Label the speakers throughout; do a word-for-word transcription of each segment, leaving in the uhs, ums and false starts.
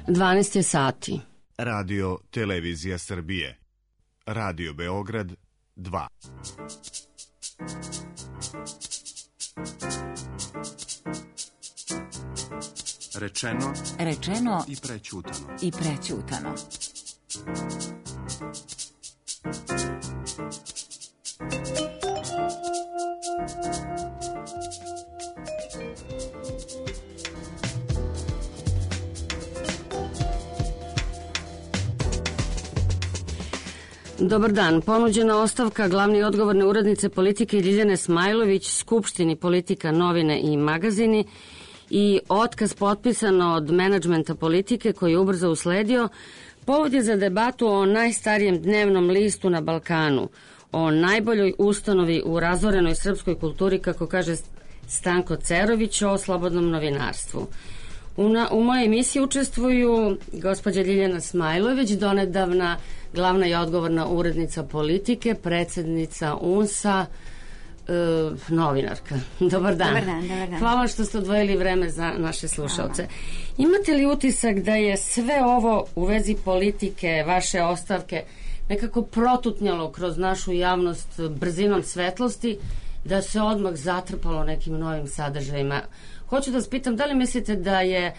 Speaker 1: dvanaest je sati.
Speaker 2: Radio Televizija Srbije. Radio Beograd dva. Rečeno,
Speaker 3: Rečeno
Speaker 2: i prećutano.
Speaker 3: i prećutano.
Speaker 1: Dobar dan. Ponuđena ostavka glavne i odgovorne urednice politike Ljiljane Smajlović Skupštini Politika, novine i magazini i otkaz potpisan od menadžmenta politike koji je ubrzo usledio povod je za debatu o najstarijem dnevnom listu na Balkanu, o najboljoj ustanovi u razorenoj srpskoj kulturi, kako kaže Stanko Cerović, o slobodnom novinarstvu. U, na, u mojoj emisiji učestvuju gospođa Ljiljana Smajlović, donedavna glavna i odgovorna urednica politike, predsednica U N S-a, e, novinarka. Dobar dan.
Speaker 3: Dobar dan, dobar dan.
Speaker 1: Hvala što ste odvojili vreme za naše slušalce. Imate li utisak da je sve ovo u vezi politike, vaše ostavke, nekako protutnjalo kroz našu javnost brzinom svetlosti, da se odmah zatrpalo nekim novim sadržajima? Hoću da vas pitam, da li mislite da je e,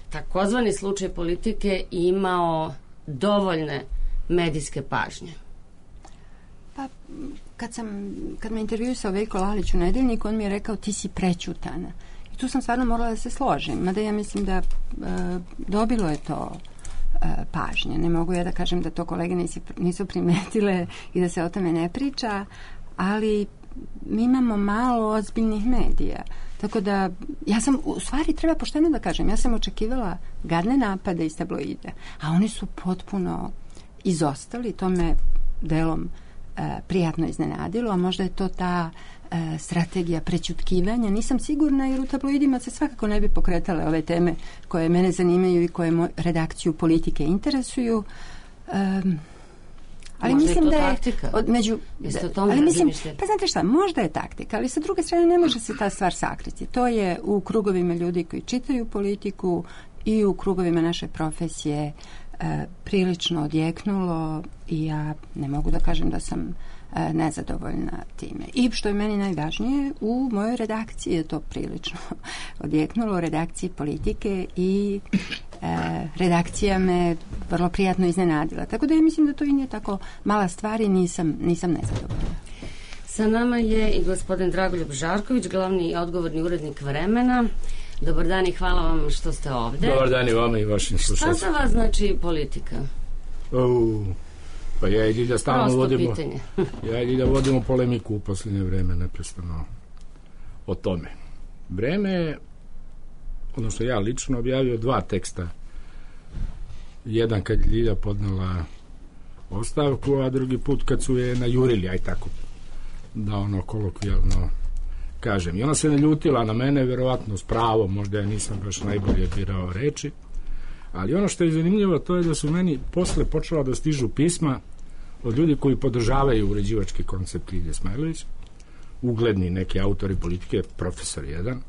Speaker 1: takozvani slučaj politike imao dovoljne medijske pažnje?
Speaker 4: Pa, kad sam, kad me intervjuisao Veljko Lalić u Nedeljniku, on mi je rekao ti si prećutana. I tu sam stvarno morala da se složim, mada ja mislim da e, dobilo je to e, pažnje. Ne mogu ja da kažem da to kolege nisu, nisu primetile i da se o tome ne priča, ali mi imamo malo ozbiljnih medija. Tako da, ja sam, u stvari treba pošteno da kažem, ja sam očekivala gadne napade iz tabloida, a oni su potpuno izostali, to me delom e, prijatno iznenadilo, a možda je to ta e, strategija prećutkivanja, nisam sigurna, jer u tabloidima se svakako ne bi pokretale ove teme koje mene zanimaju i koje moj, redakciju politike interesuju. E, ali
Speaker 1: možda
Speaker 4: mislim
Speaker 1: je to
Speaker 4: da je
Speaker 1: taktika.
Speaker 4: Od, među,
Speaker 1: da,
Speaker 4: ali mislim, pa znate šta, možda je taktika, ali sa druge strane ne može se ta stvar sakriti. To je u krugovima ljudi koji čitaju politiku i u krugovima naše profesije e, prilično odjeknulo i ja ne mogu da kažem da sam e, nezadovoljna time. I što je meni najvažnije, u mojoj redakciji je to prilično odjeknulo, u redakciji politike i e, redakcija me vrlo prijatno iznenadila. Tako da ja mislim da to i nije tako mala stvar i nisam, nisam nezadovoljna.
Speaker 1: Sa nama je i gospodin Dragoljub Žarković, glavni i odgovorni urednik Vremena. Dobar dan i hvala vam što ste ovde.
Speaker 5: Dobar dan i vama i vašim slušalcima.
Speaker 1: Šta za vas znači politika?
Speaker 5: Uh, pa ja i da stalno
Speaker 1: Prosto
Speaker 5: vodimo
Speaker 1: pitanje.
Speaker 5: ja i da vodimo polemiku u posljednje vreme neprestano o tome. Vreme, odnosno ja lično objavio dva teksta. Jedan kad je Ljilja podnela ostavku, a drugi put kad su je najurili, aj tako da ono kolokvijalno kažem. I ona se ne ljutila na mene, verovatno s pravom, možda ja nisam baš najbolje birao reči, ali ono što je zanimljivo to je da su meni posle počela da stižu pisma od ljudi koji podržavaju uređivački koncept Ljilje Smajlović, ugledni neki autori politike, profesor jedan,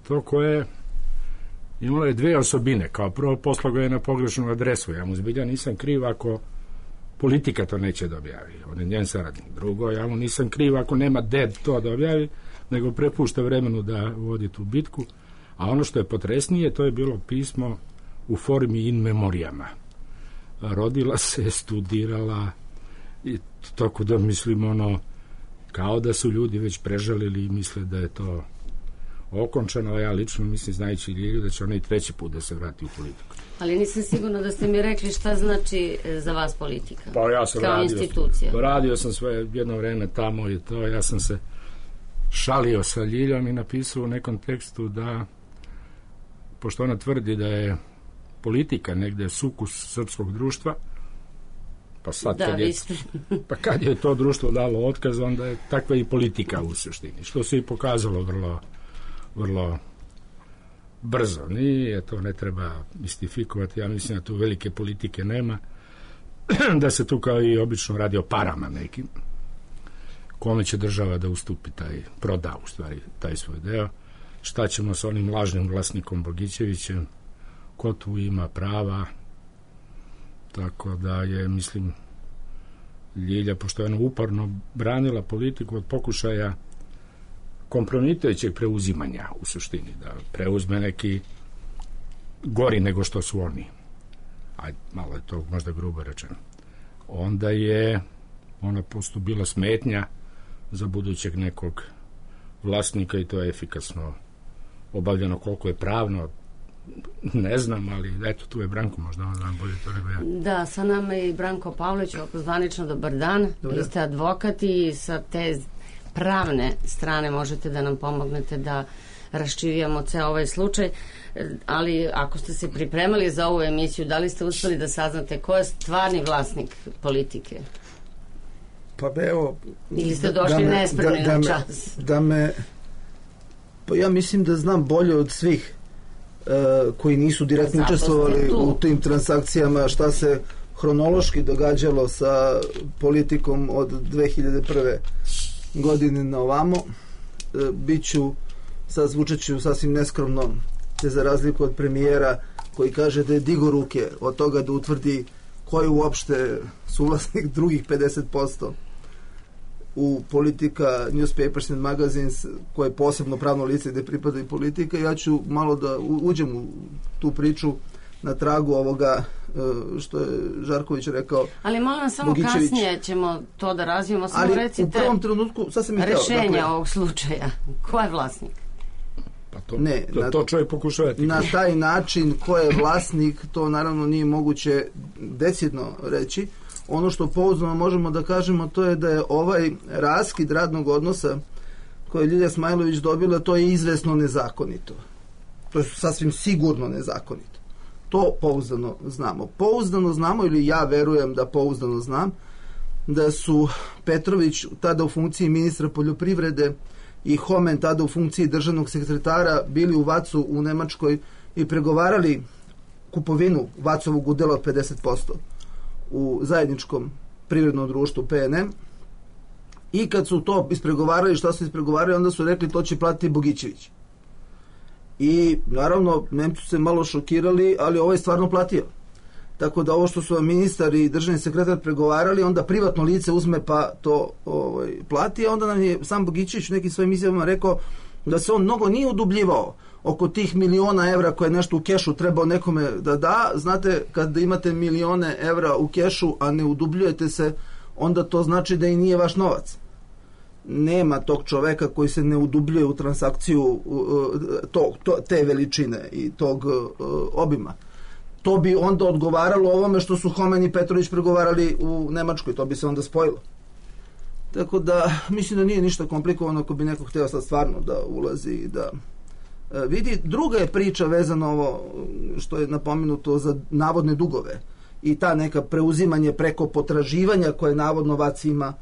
Speaker 5: to koje imalo je dve osobine. Kao prvo, poslao ga je na pogrešnu adresu. Ja mu zbilja nisam kriv ako politika to neće da objavi. On je njen saradnik. Drugo, ja mu nisam kriv ako nema ded to da objavi, nego prepušta Vremenu da vodi tu bitku. A ono što je potresnije, to je bilo pismo u formi in memorijama. Rodila se, studirala i tako da mislim ono, kao da su ljudi već prežalili i misle da je to okončano, a ja lično mislim, znajući Ljilju, da će ona i treći put da se vrati u politiku.
Speaker 1: Ali nisam sigurna da ste mi rekli šta znači za vas politika.
Speaker 5: Pa ja sam
Speaker 1: kao
Speaker 5: radio,
Speaker 1: institucija.
Speaker 5: Radio sam sve jedno vreme tamo i to, ja sam se šalio sa Ljiljom i napisao u nekom tekstu da, pošto ona tvrdi da je politika negde sukus srpskog društva, pa sad
Speaker 1: da,
Speaker 5: kad, je, pa kad je to društvo dalo otkaz, onda je takva i politika u suštini, što se i pokazalo vrlo vrlo brzo. Nije, to ne treba mistifikovati, ja mislim da tu velike politike nema, da se tu kao i obično radi o parama nekim, kome će država da ustupi taj, proda u stvari taj svoj deo, šta ćemo sa onim lažnim vlasnikom Bogićevićem, ko tu ima prava, tako da je, mislim, Ljilja, pošto je ona uporno branila politiku od pokušaja kompromitujućeg preuzimanja, u suštini, da preuzme neki gori nego što su oni. Ajde, malo je to možda grubo rečeno. Onda je ona posto bila smetnja za budućeg nekog vlasnika i to je efikasno obavljeno. Koliko je pravno, ne znam, ali eto, tu je Branko, možda on znam bolje to nego ja.
Speaker 1: Da, sa nama je i Branko Pavlović, zvanično dobar dan. Vi ste advokat i sa te pravne strane možete da nam pomognete da raščivijamo ceo ovaj slučaj, ali ako ste se pripremali za ovu emisiju, da li ste uspeli da saznate ko je stvarni vlasnik politike?
Speaker 6: Pa evo...
Speaker 1: Ili ste došli
Speaker 6: da me,
Speaker 1: nespremni
Speaker 6: da,
Speaker 1: na
Speaker 6: da
Speaker 1: čas?
Speaker 6: Me, da me... Pa ja mislim da znam bolje od svih uh, koji nisu direktno učestvovali u tim transakcijama šta se hronološki događalo sa politikom od dve hiljade prve godine na ovamo. Uh, biću, sad zvučeću sasvim neskromno, te za razliku od premijera koji kaže da je digo ruke od toga da utvrdi ko je uopšte suvlasnik drugih pedeset posto u Politika, Newspapers and Magazines, koje je posebno pravno lice gde pripada i politika. Ja ću malo da uđem u tu priču na tragu ovoga što je Žarković rekao.
Speaker 1: Ali molim vas, samo kasnije ćemo to da razvijemo, samo
Speaker 6: ali
Speaker 1: recite
Speaker 6: u prvom trenutku, sad sam i
Speaker 1: rešenja
Speaker 6: dakle,
Speaker 1: ovog slučaja. Ko je vlasnik?
Speaker 5: Pa to,
Speaker 6: ne,
Speaker 5: to,
Speaker 6: na,
Speaker 5: to čovjek pokušavati.
Speaker 6: Na taj način ko je vlasnik, to naravno nije moguće decidno reći. Ono što pouzdano možemo da kažemo, to je da je ovaj raskid radnog odnosa koje je Ljilja Smajlović dobila, to je izvesno nezakonito. To je sasvim sigurno nezakonito. To pouzdano znamo. Pouzdano znamo, ili ja verujem da pouzdano znam, da su Petrović tada u funkciji ministra poljoprivrede i Homen tada u funkciji državnog sekretara bili u Vacu u Nemačkoj i pregovarali kupovinu Vacovog udela od pedeset posto u zajedničkom privrednom društvu P N M, i kad su to ispregovarali, šta su ispregovarali, onda su rekli to će platiti Bogićević. I naravno Nemci su se malo šokirali, ali ovo je stvarno platio. Tako da ovo što su ministar i državni sekretar pregovarali, onda privatno lice uzme pa to ovaj, plati, a onda nam je sam Bogićević u nekim svojim izjavama rekao da se on mnogo nije udubljivao oko tih miliona evra koje nešto u kešu trebao nekome da da. Znate, kad imate milione evra u kešu, a ne udubljujete se, onda to znači da i nije vaš novac. Nema tog čoveka koji se ne udubljuje u transakciju to, to, te veličine i tog uh, obima. To bi onda odgovaralo ovome što su Homen i Petrović pregovarali u Nemačkoj, to bi se onda spojilo. Tako da mislim da nije ništa komplikovano ako bi neko hteo sad stvarno da ulazi i da uh, vidi. Druga je priča vezano ovo što je napomenuto za navodne dugove i ta neka preuzimanje preko potraživanja koje navodno Vac ima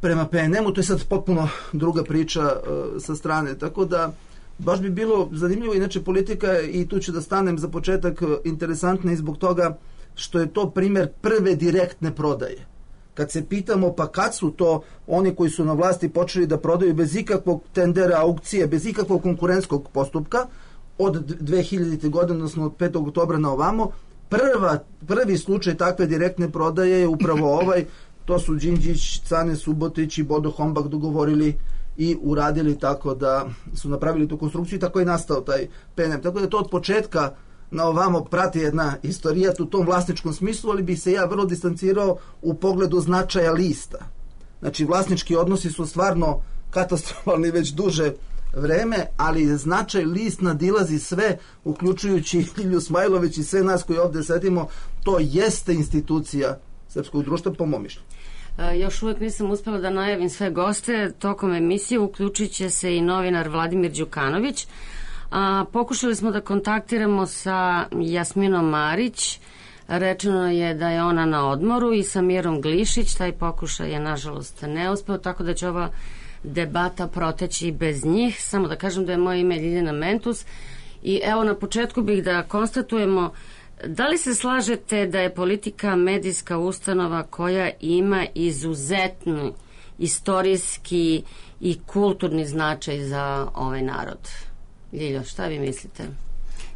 Speaker 6: prema P N M-u, to je sad potpuno druga priča uh, sa strane, tako da baš bi bilo zanimljivo. Inače politika, i tu ću da stanem za početak, interesantna i zbog toga što je to primer prve direktne prodaje. Kad se pitamo pa kad su to oni koji su na vlasti počeli da prodaju bez ikakvog tendera, aukcije, bez ikakvog konkurentskog postupka od dve hiljadite godine, odnosno od petog oktobra na ovamo, prva, prvi slučaj takve direktne prodaje je upravo ovaj. To su Đinđić, Cane Subotić i Bodo Hombak dogovorili i uradili tako da su napravili tu konstrukciju i tako je nastao taj P N M. Tako da to od početka na ovamo prati jedna istorija u tom vlasničkom smislu, ali bi se ja vrlo distancirao u pogledu značaja lista. Znači, vlasnički odnosi su stvarno katastrofalni već duže vreme, ali značaj list nadilazi sve, uključujući Ljilju Smajlović i sve nas koji ovde sedimo. To jeste institucija srpskog društva, po mom mišljenju.
Speaker 1: Još uvijek nisam uspela da najavim sve goste. Tokom emisije uključit će se i novinar Vladimir Đukanović. A, pokušali smo da kontaktiramo sa Jasminom Marić. Rečeno je da je ona na odmoru, i sa Mirom Glišić. Taj pokušaj je nažalost neuspeo, tako da će ova debata proteći bez njih. Samo da kažem da je moje ime Ljiljana Mentus. I evo, na početku bih da konstatujemo, da li se slažete da je politika medijska ustanova koja ima izuzetni istorijski i kulturni značaj za ovaj narod? Ljiljo, šta vi mislite?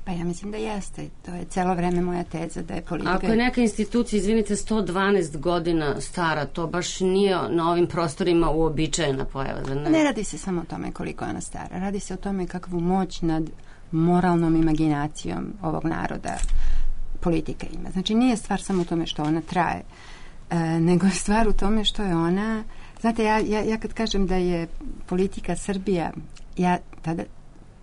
Speaker 4: Pa ja mislim da jeste. To je celo vreme moja teza da je politika...
Speaker 1: Ako je neka institucija, izvinite, sto dvanaest godina stara, to baš nije na ovim prostorima uobičajena pojava. Ne?
Speaker 4: ne radi se samo o tome koliko je ona stara. Radi se o tome kakvu moć nad moralnom imaginacijom ovog naroda politika ima. Znači nije stvar samo u tome što ona traje, e, nego je stvar u tome što je ona... Znate, ja, ja, ja kad kažem da je politika Srbija, ja tada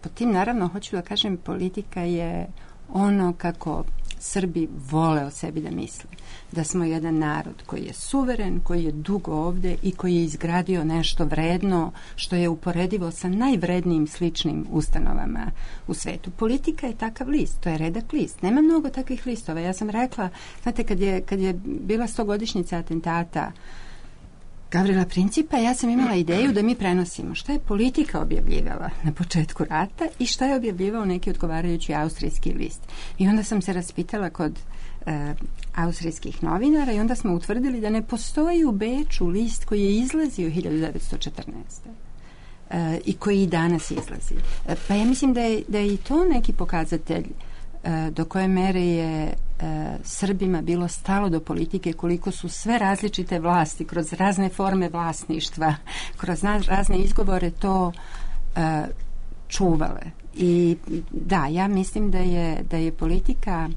Speaker 4: po tim naravno hoću da kažem politika je ono kako Srbi vole o sebi da misle. Da smo jedan narod koji je suveren, koji je dugo ovde i koji je izgradio nešto vredno što je uporedivo sa najvrednijim sličnim ustanovama u svetu. Politika je takav list, to je redak list. Nema mnogo takvih listova. Ja sam rekla, znate, kad je, kad je bila stogodišnjica atentata Gavrila Principa, ja sam imala ideju da mi prenosimo šta je politika objavljivala na početku rata i šta je objavljivao neki odgovarajući austrijski list. I onda sam se raspitala kod e, austrijskih novinara i onda smo utvrdili da ne postoji u Beču list koji je izlazio hiljadu devetsto četrnaeste. E, i koji i danas izlazi. E, pa ja mislim da je, da je i to neki pokazatelj e, do koje mere je e, Srbima bilo stalo do politike, koliko su sve različite vlasti kroz razne forme vlasništva, kroz razne izgovore to e, čuvale. I da, ja mislim da je, da je politika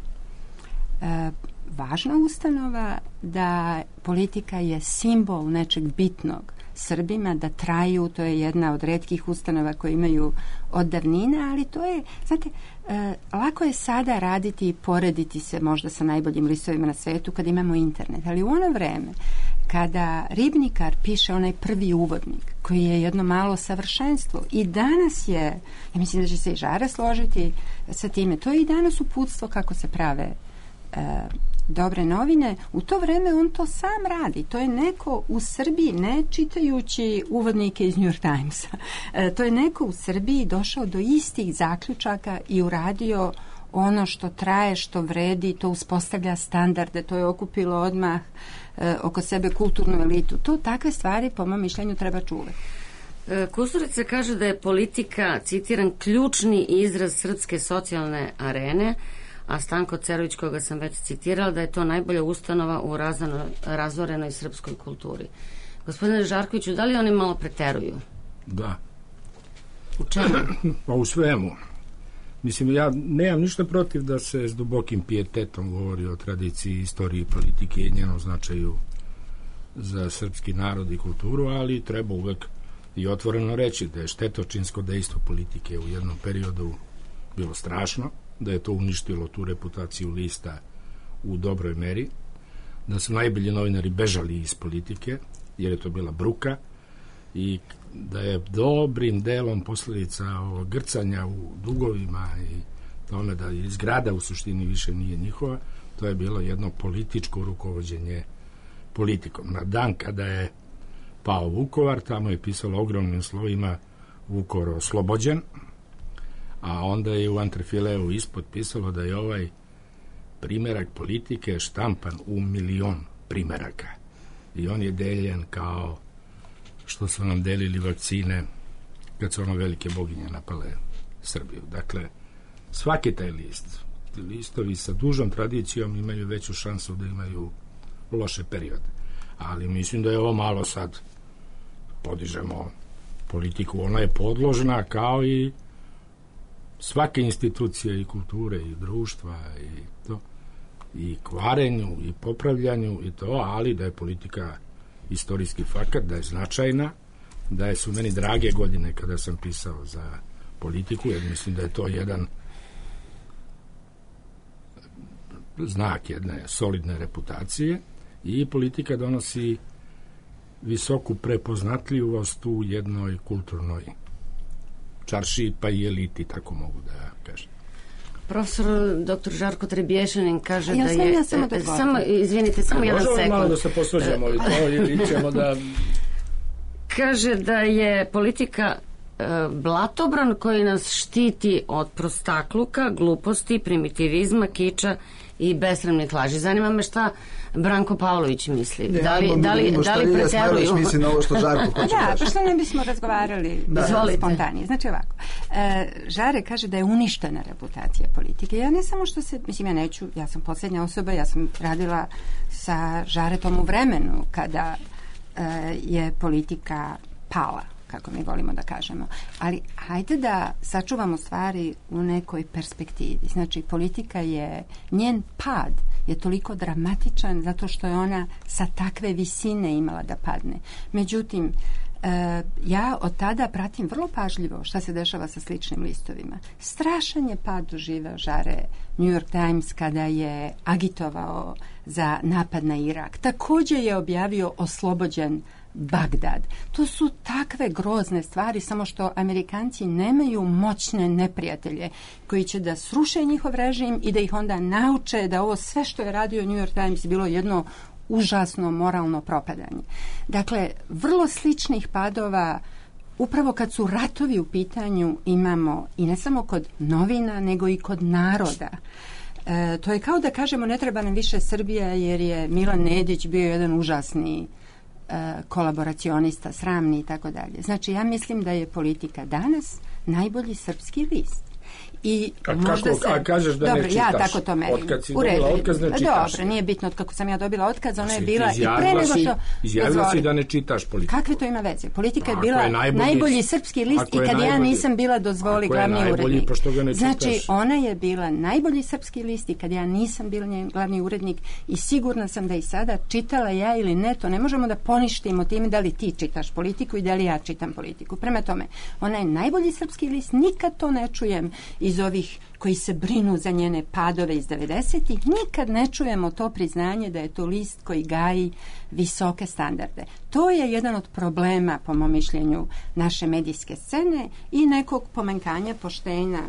Speaker 4: e, važna ustanova, da politika je simbol nečeg bitnog Srbima, da traju, to je jedna od retkih ustanova koje imaju od davnina, ali to je, znate, e, lako je sada raditi i porediti se možda sa najboljim listovima na svetu kad imamo internet, ali u ono vreme kada Ribnikar piše onaj prvi uvodnik, koji je jedno malo savršenstvo i danas je, ja mislim da će se i Žara složiti sa time, to je i danas uputstvo kako se prave e, dobre novine, u to vreme on to sam radi. To je neko u Srbiji, ne čitajući uvodnike iz New York Timesa, e, to je neko u Srbiji došao do istih zaključaka i uradio ono što traje, što vredi, to uspostavlja standarde, to je okupilo odmah e, oko sebe kulturnu elitu. To takve stvari, po mom mišljenju, treba čuvati.
Speaker 1: Kusturica kaže da je politika, citiram, ključni izraz srpske socijalne arene, a Stanko Cerović, koga sam već citirala, da je to najbolja ustanova u razano, razorenoj srpskoj kulturi. Gospodine Žarkoviću, da li oni malo preteruju?
Speaker 5: Da.
Speaker 1: U čemu?
Speaker 5: Pa u svemu. Mislim, ja nemam ništa protiv da se s dubokim pijetetom govori o tradiciji, istoriji, politike i njenom značaju za srpski narod i kulturu, ali treba uvek i otvoreno reći da je štetočinsko dejstvo politike u jednom periodu bilo strašno, da je to uništilo tu reputaciju lista u dobroj meri, da su najbolji novinari bežali iz politike, jer je to bila bruka, i da je dobrim delom posljedica ovog grcanja u dugovima i tome da izgrada u suštini više nije njihova, to je bilo jedno političko rukovođenje politikom. Na dan kada je pao Vukovar, tamo je pisalo ogromnim slovima Vukovar oslobođen, a onda je u antrefileu ispod pisalo da je ovaj primerak politike štampan u milion primeraka. I on je deljen kao što su nam delili vakcine kad su ono velike boginje napale Srbiju. Dakle, svaki taj list, listovi sa dužom tradicijom imaju veću šansu da imaju loše periode. Ali mislim da je ovo malo sad podižemo politiku. Ona je podložna kao i svake institucije i kulture i društva i to, i kvarenju i popravljanju i to, ali da je politika istorijski fakat, da je značajna, da je su meni drage godine kada sam pisao za politiku, jer mislim da je to jedan znak jedne solidne reputacije i politika donosi visoku prepoznatljivost u jednoj kulturnoj čaršiji, pa i eliti, tako mogu da kažem.
Speaker 1: Profesor doktor Žarko Trebješanin kaže
Speaker 4: ja
Speaker 1: da
Speaker 4: sam,
Speaker 1: je...
Speaker 4: Ja samo, da
Speaker 1: samo izvinite, samo jedan sekund.
Speaker 5: Možemo malo da se posluđamo i to, ili ćemo da...
Speaker 1: Kaže da je politika blatobran koji nas štiti od prostakluka, gluposti, primitivizma, kiča i besramnih laži. Zanima me šta Branko Pavlović misli.
Speaker 6: Ne,
Speaker 1: da li, da li, da li preteruju?
Speaker 6: Misli na ovo što Žarko hoće
Speaker 4: da,
Speaker 6: kaži.
Speaker 4: pa što ne bismo razgovarali spontanije. Znači ovako, e, Žare kaže da je uništena reputacija politike. Ja ne samo što se, mislim ja neću, ja sam posljednja osoba, ja sam radila sa Žaretom u vremenu kada e, je politika pala, kako mi volimo da kažemo. Ali hajde da sačuvamo stvari u nekoj perspektivi. Znači, politika je, njen pad je toliko dramatičan zato što je ona sa takve visine imala da padne. Međutim, e, ja od tada pratim vrlo pažljivo šta se dešava sa sličnim listovima. Strašan je pad doživeo Žare New York Times kada je agitovao za napad na Irak. Također je objavio oslobođen Bagdad. To su takve grozne stvari, samo što Amerikanci nemaju moćne neprijatelje koji će da sruše njihov režim i da ih onda nauče da ovo sve što je radio New York Times bilo jedno užasno moralno propadanje. Dakle, vrlo sličnih padova upravo kad su ratovi u pitanju imamo i ne samo kod novina, nego i kod naroda. E, to je kao da kažemo ne treba nam više Srbija jer je Milan Nedić bio jedan užasni kolaboracionista, sramni i tako dalje. Znači, ja mislim da je politika danas najbolji srpski list. I
Speaker 5: a,
Speaker 4: možda
Speaker 5: kako,
Speaker 4: se...
Speaker 5: a kažeš da
Speaker 4: dobro,
Speaker 5: ne čitaš?
Speaker 4: Ja tako to merim.
Speaker 5: Otkad si dobila otkaz, ne čitaš?
Speaker 4: Dobro, nije bitno od kako sam ja dobila otkaz, ona je
Speaker 5: si,
Speaker 4: bila i pre nego što...
Speaker 5: Izjavila si da ne čitaš politiku.
Speaker 4: Kakve to ima veze? Politika je
Speaker 5: ako
Speaker 4: bila
Speaker 5: je najbolji,
Speaker 4: najbolji srpski list i kad ja nisam bila dozvoli glavni urednik. Znači, ona je bila najbolji srpski list i kad ja nisam bila njen glavni urednik i sigurna sam da i sada čitala ja ili ne, to ne možemo da poništimo time da li ti čitaš politiku i da li ja čitam politiku. Prema tome, ona je najbolji srpski list, nikad to ne čujem iz ovih koji se brinu za njene padove iz devedesetih, nikad ne čujemo to priznanje da je to list koji gaji visoke standarde. To je jedan od problema, po mom mišljenju, naše medijske scene i nekog pomenkanja poštenja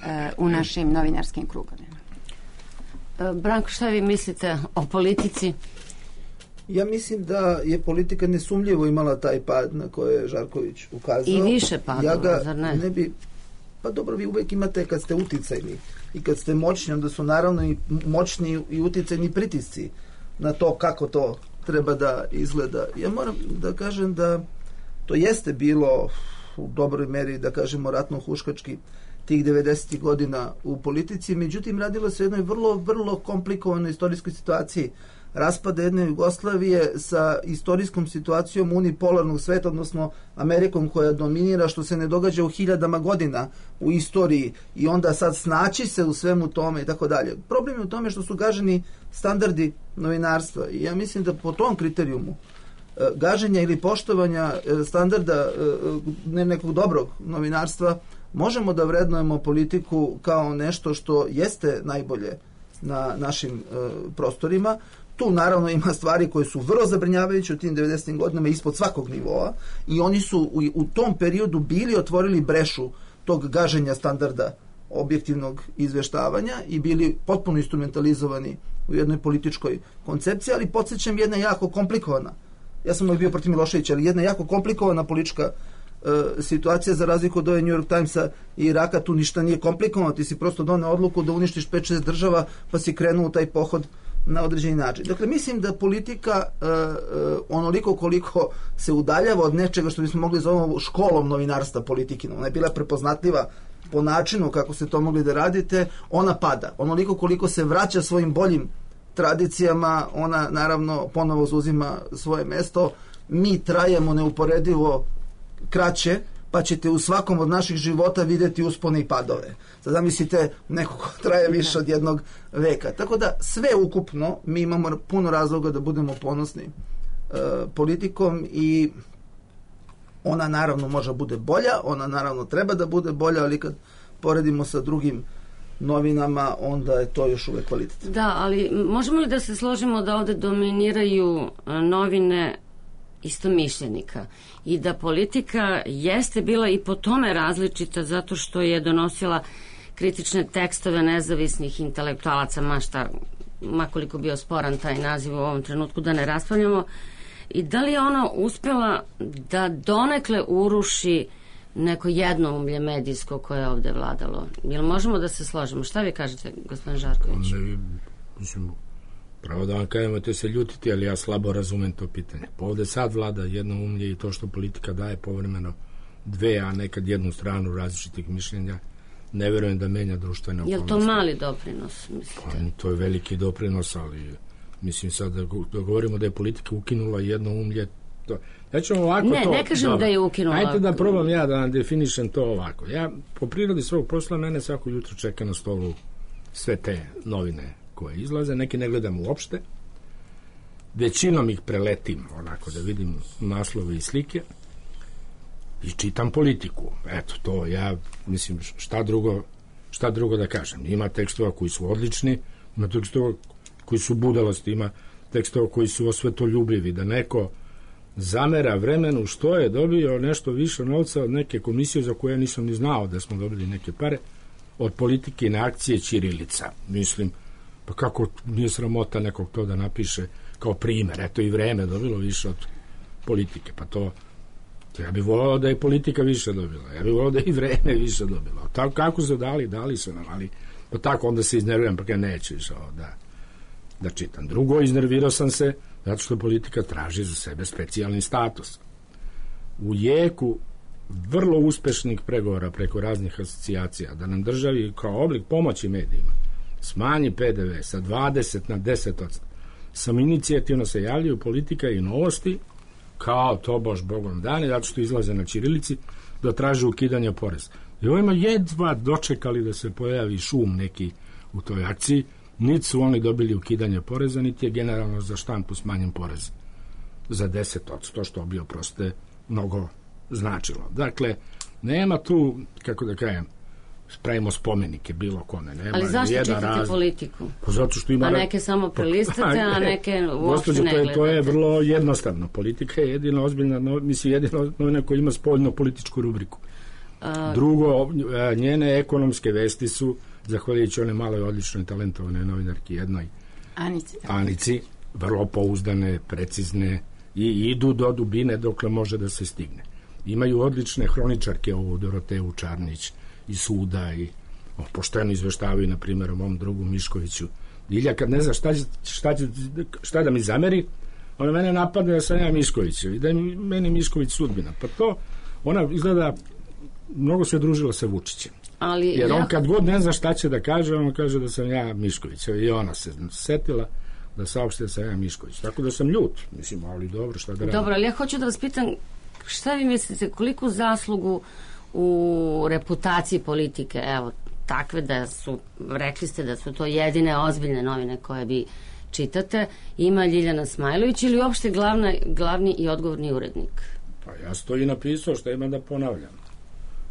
Speaker 4: e, u našim novinarskim krugovima.
Speaker 1: Branko, šta vi mislite o politici?
Speaker 6: Ja mislim da je politika nesumljivo imala taj pad na koje je Žarković ukazao.
Speaker 1: I više padova,
Speaker 6: ja ga
Speaker 1: zar ne?
Speaker 6: ne bi... Pa dobro, vi uvijek imate kad ste uticajni i kad ste moćni, onda su naravno i moćni i uticajni pritisci na to kako to treba da izgleda. Ja moram da kažem da to jeste bilo u dobroj meri, da kažemo, ratno-huškački tih devedesetih godina u politici, međutim radilo se o jednoj vrlo, vrlo komplikovanoj istorijskoj situaciji raspada jedne Jugoslavije sa istorijskom situacijom unipolarnog sveta, odnosno Amerikom koja dominira, što se ne događa u hiljadama godina u istoriji i onda sad snaći se u svemu tome i tako dalje. Problem je u tome što su gaženi standardi novinarstva i ja mislim da po tom kriterijumu gaženja ili poštovanja standarda ne nekog dobrog novinarstva možemo da vrednujemo politiku kao nešto što jeste najbolje na našim e, prostorima. Tu naravno ima stvari koje su vrlo zabrinjavajuće u tim devedesetim godinama ispod svakog nivoa i oni su u, u tom periodu bili otvorili brešu tog gaženja standarda objektivnog izveštavanja i bili potpuno instrumentalizovani u jednoj političkoj koncepciji, ali podsjećam jedna jako komplikovana, ja sam uvijek bio protiv Miloševića, ali jedna jako komplikovana politička e, situacija za razliku od ove New York Timesa i Iraka, tu ništa nije komplikovano, ti si prosto doneo odluku da uništiš pet šest država pa si krenuo u taj pohod na određeni način. Dakle, mislim da politika e, e, onoliko koliko se udaljava od nečega što bismo mogli zovemo školom novinarstva politikinom, ona je bila prepoznatljiva po načinu kako se to mogli da radite, ona pada. Onoliko koliko se vraća svojim boljim tradicijama, ona naravno ponovo zauzima svoje mesto. Mi trajemo neuporedivo kraće, pa ćete u svakom od naših života vidjeti uspone i padove. Sad zamislite neko ko traje više od jednog veka. Tako da sve ukupno mi imamo puno razloga da budemo ponosni e, politikom i ona naravno može bude bolja, ona naravno treba da bude bolja, ali kad poredimo sa drugim novinama, onda je to još uvek kvalitet.
Speaker 1: Da, ali možemo li da se složimo da ovde dominiraju novine istomišljenika i da politika jeste bila i po tome različita zato što je donosila kritične tekstove nezavisnih intelektualaca, ma šta, makoliko bio sporan taj naziv u ovom trenutku, da ne raspravljamo, i da li je ona uspela da donekle uruši neko jednoumlje medijsko koje je ovde vladalo. Jel možemo da se složimo? Šta vi kažete, gospodin Žarković?
Speaker 5: Ne, mislim, pravo da vam kažemo, te se ljutiti, ali ja slabo razumem to pitanje. Pa ovde sad vlada jednoumlje i to što politika daje povremeno dve, a nekad jednu stranu različitih mišljenja, ne verujem da menja društvene okolnosti.
Speaker 1: Je li to mali doprinos, mislite?
Speaker 5: Pa, to je veliki doprinos, ali mislim sad da, da govorimo da je politika ukinula jednoumlje. To. Ja ću ovako
Speaker 1: ne,
Speaker 5: to...
Speaker 1: Ne, kažem dobro. Da je ukinula.
Speaker 5: Ajde da probam ja da vam definišem to ovako. Ja, po prirodi svog posla, mene svako jutro čeka na stolu sve te novine koje izlaze, neki ne gledam uopšte. Većinom ih preletim, onako da vidim naslove i slike i čitam politiku. Eto, to ja, mislim, šta drugo, šta drugo da kažem. Ima tekstova koji su odlični, ima tekstova koji su budalosti, ima tekstova koji su osvetoljubivi, da neko zamera vremenu što je dobio nešto više novca od neke komisije za koje ja nisam ni znao da smo dobili neke pare, od politike na akcije ćirilica. Mislim, pa kako nije sramota nekog to da napiše kao primer, eto i vreme dobilo više od politike, pa to, to ja bih volao da je politika više dobila, ja bih volao da je i vreme više dobilo. Tako kako su dali, dali su nam, ali pa tako onda se iznerviram, pa kada neću više ovo da, da čitam. Drugo, iznervirao sam se zato što politika traži za sebe specijalni status. U jeku vrlo uspešnih pregovora preko raznih asocijacija da nam državi kao oblik pomoći medijima smanji pe de ve sa dvadeset na deset posto. Sam inicijativno se javljaju politika i novosti kao to bož bogom dani, zato što izlaze na ćirilici da traže ukidanje poreza. I ovima jedva dočekali da se pojavi šum neki u toj akciji, niti su oni dobili ukidanje poreza, niti je generalno za štampu smanjen porez za deset posto, što bi oproste mnogo značilo. Dakle, nema tu, kako da kažem, spravimo spomenike bilo kome. Nema.
Speaker 1: Ali zašto čitate raz... politiku?
Speaker 5: Pa zato što ima...
Speaker 1: A neke samo prelistate, a neke uopšte ne gledate.
Speaker 5: To je vrlo jednostavno. Politika je jedina ozbiljna, mislim, jedina novina koja ima spoljno političku rubriku. A... Drugo, njene ekonomske vesti su, zahvaljujući one maloj odličnoj talentovane novinarki jednoj
Speaker 4: Anici,
Speaker 5: Anici, vrlo pouzdane, precizne i idu do dubine dokle može da se stigne. Imaju odlične hroničarke, ovu Doroteju Čarnić i Suda i o, pošteno izveštavaju, na primjer, o mom drugu Miškoviću. Ilja kad ne zna šta, šta, šta da mi zameri, ona mene napadne da sam ja Mišković i da je meni Mišković sudbina. Pa to, ona izgleda mnogo se družila sa Vučićem.
Speaker 1: Ali,
Speaker 5: jer on
Speaker 1: ja...
Speaker 5: kad god ne zna šta će da kaže, on kaže da sam ja Mišković. I ona se setila da saopšte da sam ja Mišković. Tako da sam ljut. Mislim, ali dobro, šta da radim.
Speaker 1: Dobro, ali ja hoću da vas pitam, šta vi mislite, koliku zaslugu u reputaciji politike, evo, takve da su, rekli ste da su to jedine ozbiljne novine koje vi čitate, ima Ljiljana Smajlović ili uopšte glavna, glavni i odgovorni urednik?
Speaker 5: Pa ja sam to i napisao, što imam da ponavljam.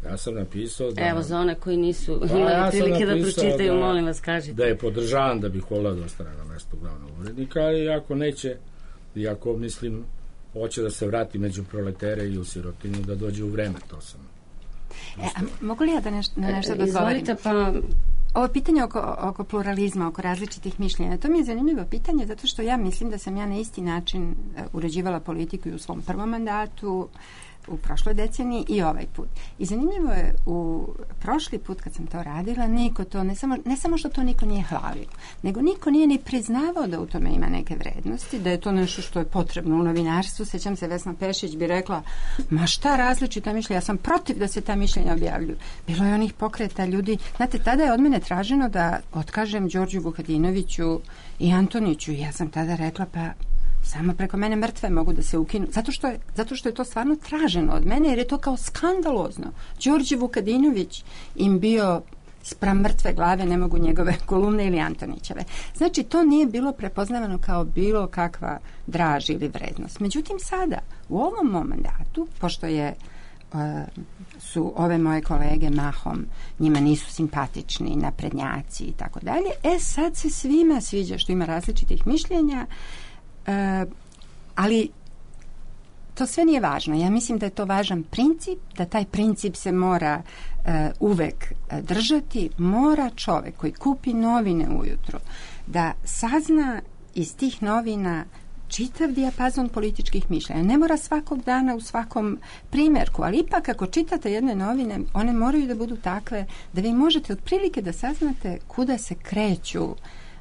Speaker 5: Ja sam napisao da...
Speaker 1: Evo, za one koji nisu pa, imali ja prilike da pročitaju, da, molim vas, kažite.
Speaker 5: Da je podržavan, da bih volao da ostane na mestu glavnog urednika, i ako neće, i ako, mislim, hoće da se vrati među proletere i u sirotinju, da dođe u vreme, to sam.
Speaker 4: E, a mogu li ja da nešto, na nešto da odgovorim?
Speaker 1: Izvolite, pa...
Speaker 4: Ovo pitanje oko, oko pluralizma, oko različitih mišljenja, to mi je zanimljivo pitanje, zato što ja mislim da sam ja na isti način uređivala politiku i u svom prvom mandatu, u prošloj deceniji i ovaj put. I zanimljivo je, u prošli put kad sam to radila, niko to, ne samo, ne samo što to niko nije hvalio, nego niko nije ni priznavao da u tome ima neke vrednosti, da je to nešto što je potrebno u novinarstvu. Sećam se, Vesna Pešić bi rekla, ma šta različita mišljenja, ja sam protiv da se ta mišljenja objavljuju. Bilo je onih pokreta ljudi. Znate, tada je od mene traženo da otkažem Đorđu Vukadinoviću i Antoniću. Ja sam tada rekla, pa samo preko mene mrtve mogu da se ukinu. Zato što je, zato što je to stvarno traženo od mene, jer je to kao skandalozno. Đorđe Vukadinović im bio spram mrtve glave, ne mogu njegove kolumne ili Antonićeve. Znači, to nije bilo prepoznavano kao bilo kakva draž ili vrednost. Međutim, sada, u ovom mom mandatu, pošto je uh, su ove moje kolege mahom, njima nisu simpatični, naprednjaci i tako dalje, e sad se svima sviđa što ima različitih mišljenja. Uh, ali to sve nije važno. Ja mislim da je to važan princip, da taj princip se mora uh, uvek uh, držati. Mora čovek koji kupi novine ujutro da sazna iz tih novina čitav dijapazon političkih mišljenja. Ne mora svakog dana u svakom primjerku, ali ipak ako čitate jedne novine, one moraju da budu takve da vi možete otprilike da saznate kuda se kreću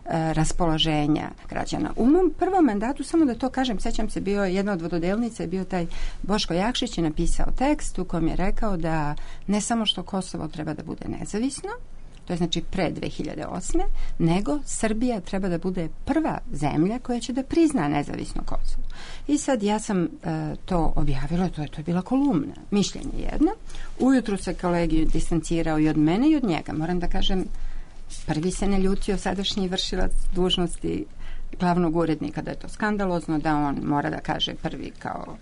Speaker 4: raspoloženja građana. U mom prvom mandatu, samo da to kažem, sećam se, bio jedna od vododelnica je bio taj Boško Jakšić, je napisao tekst u kojem je rekao da ne samo što Kosovo treba da bude nezavisno, to je znači pre dve hiljade osme, nego Srbija treba da bude prva zemlja koja će da prizna nezavisno Kosovo. I sad ja sam e, to objavila, to je, to je bila kolumna, mišljenje jedno. Ujutru se kolegi distancirao i od mene i od njega. Moram da kažem, prvi se ne ljutio sadašnji vršilac dužnosti glavnog urednika, da je to skandalozno, da on mora da kaže prvi kao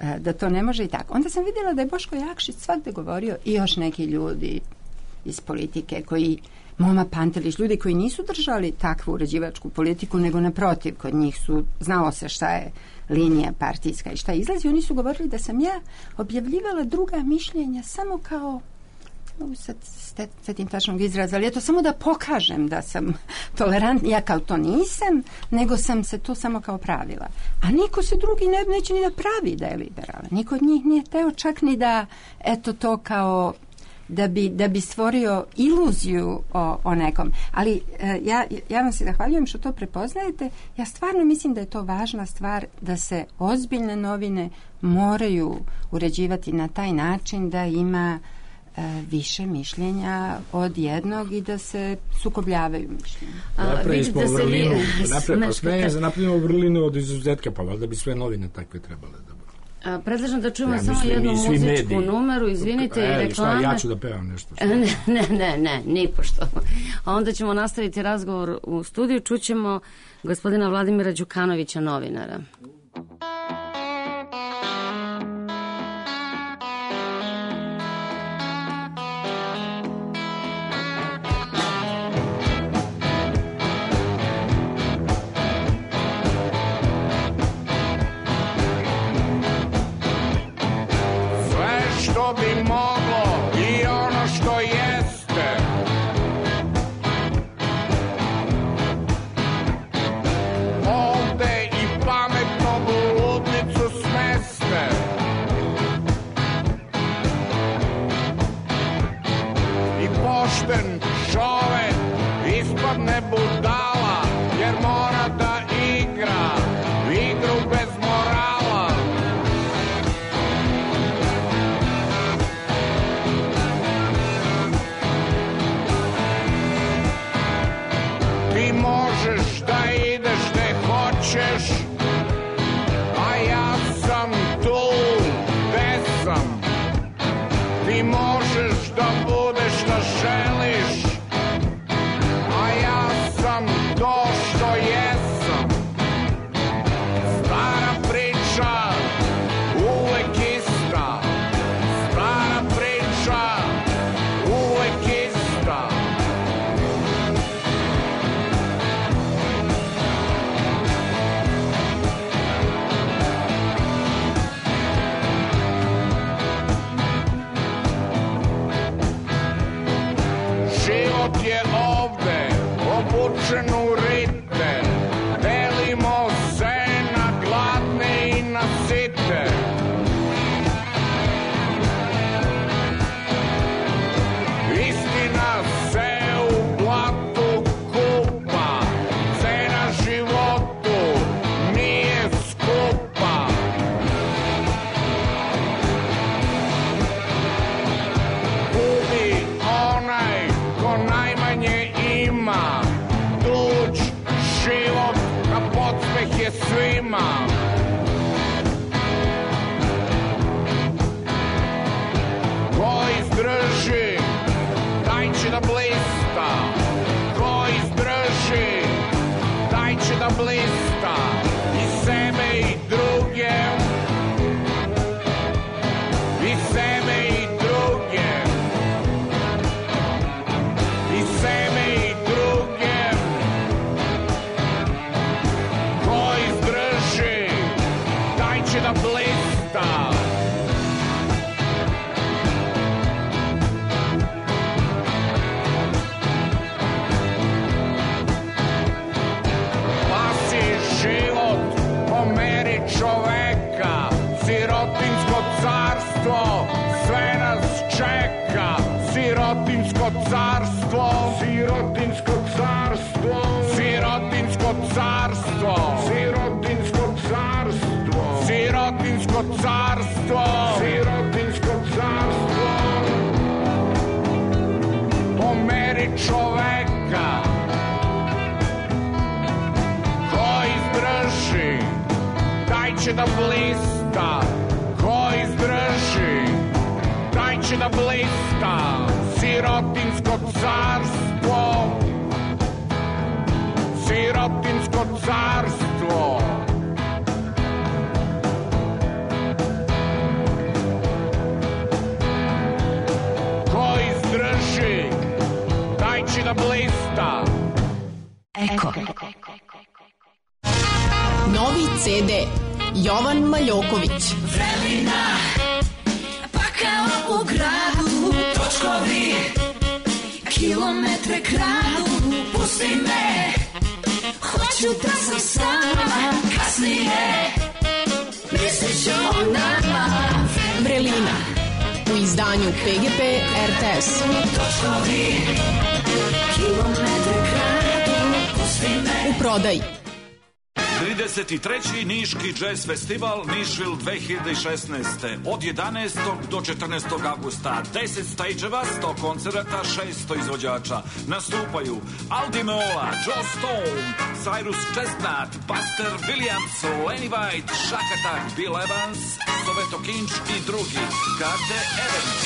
Speaker 4: e, da to ne može i tako. Onda sam vidjela da je Boško Jakšić svakde govorio i još neki ljudi iz politike koji, Moma Pantelić, ljudi koji nisu držali takvu uređivačku politiku, nego naprotiv, kod njih su, znalo se šta je linija partijska i šta izlazi, oni su govorili da sam ja objavljivala druga mišljenja samo kao, sad setim tačnog izraza, ali je to samo da pokažem da sam tolerantna, ja kao to nisam, nego sam se to samo kao pravila. A niko se drugi ne, neće ni da pravi da je liberalan. Niko od njih nije teo čak ni da, eto to kao da bi, da bi stvorio iluziju o, o nekom. Ali e, ja, ja vam se zahvaljujem što to prepoznajete. Ja stvarno mislim da je to važna stvar, da se ozbiljne novine moraju uređivati na taj način da ima e, više mišljenja od jednog i da se sukobljavaju mišljenja.
Speaker 5: Napravili smo vrlinu, napravimo vrlinu od izuzetka, pa valjda bi sve novine takve trebale da budu.
Speaker 1: A, predlažem da čujemo
Speaker 5: ja,
Speaker 1: samo
Speaker 5: mislim,
Speaker 1: jednu muzičku
Speaker 5: mediji.
Speaker 1: numeru, izvinite,
Speaker 5: e,
Speaker 1: i reklame.
Speaker 5: Šta, ja ću da pevam nešto. Šta?
Speaker 1: Ne, ne, ne, ne, nipošto. A onda ćemo nastaviti razgovor u studiju. Čućemo gospodina Vladimira Đukanovića, novinara.
Speaker 7: Bi moglo i ono što jeste, ovde i pametno u ludnicu smeste. I pošten čovek ispadne budala, jer mora da igra igru bez morala. Ti možeš da ideš gde hoćeš, a ja sam tu gde sam. Ti možeš da budeš šta želiš, a ja sam to što jesam. Stara priča, uvek ista. Stara priča, uvek ista. Život je ovde obučen u rite, delimo se na gladne i na site. Istina se u blatu kupa, cena životu nije skupa. Gubi onaj ko najmanje ima, tuđ život na podsmeh je svima. Ko izdrži, taj će da blista. Ko izdrži, taj će da blista. I sebe i druge, i sebe i druge, i sebe i druge. Ko izdrži, taj će da blista. Spasi carstvo, sirotinsko carstvo, sirotinsko carstvo, sirotinsko carstvo. Po meri čoveka ko izdrži, taj će da blista. Ko izdrži, taj će da blista. Sirotinsko carstvo, sirotinsko carstvo. Ko izdrži, taj će da blista.
Speaker 3: Eko.
Speaker 8: Novi ce de Jovan Maljoković.
Speaker 9: Vremena, pa kao u gradu, točkovi, kilometre kradu, pusti me, hoću da sam sama, kasnije, mislit ću o nama.
Speaker 8: Vrelina, u izdanju pe ge pe er te es.
Speaker 9: Točkovi, kilometre kradu, pusti me.
Speaker 8: U prodaji.
Speaker 10: trideset treći Niški jazz festival Nišvil dve hiljade šesnaeste. Od jedanaestog do četrnaestog avgusta. deset stageeva, sto koncerata, šesto izvođača. Nastupaju Aldi Meola, Joe Stone, Cyrus Chestnut, Buster Williams, Lenny White, Shack Attack, Bill Evans, Soveto Kinč i drugi. Karte Event.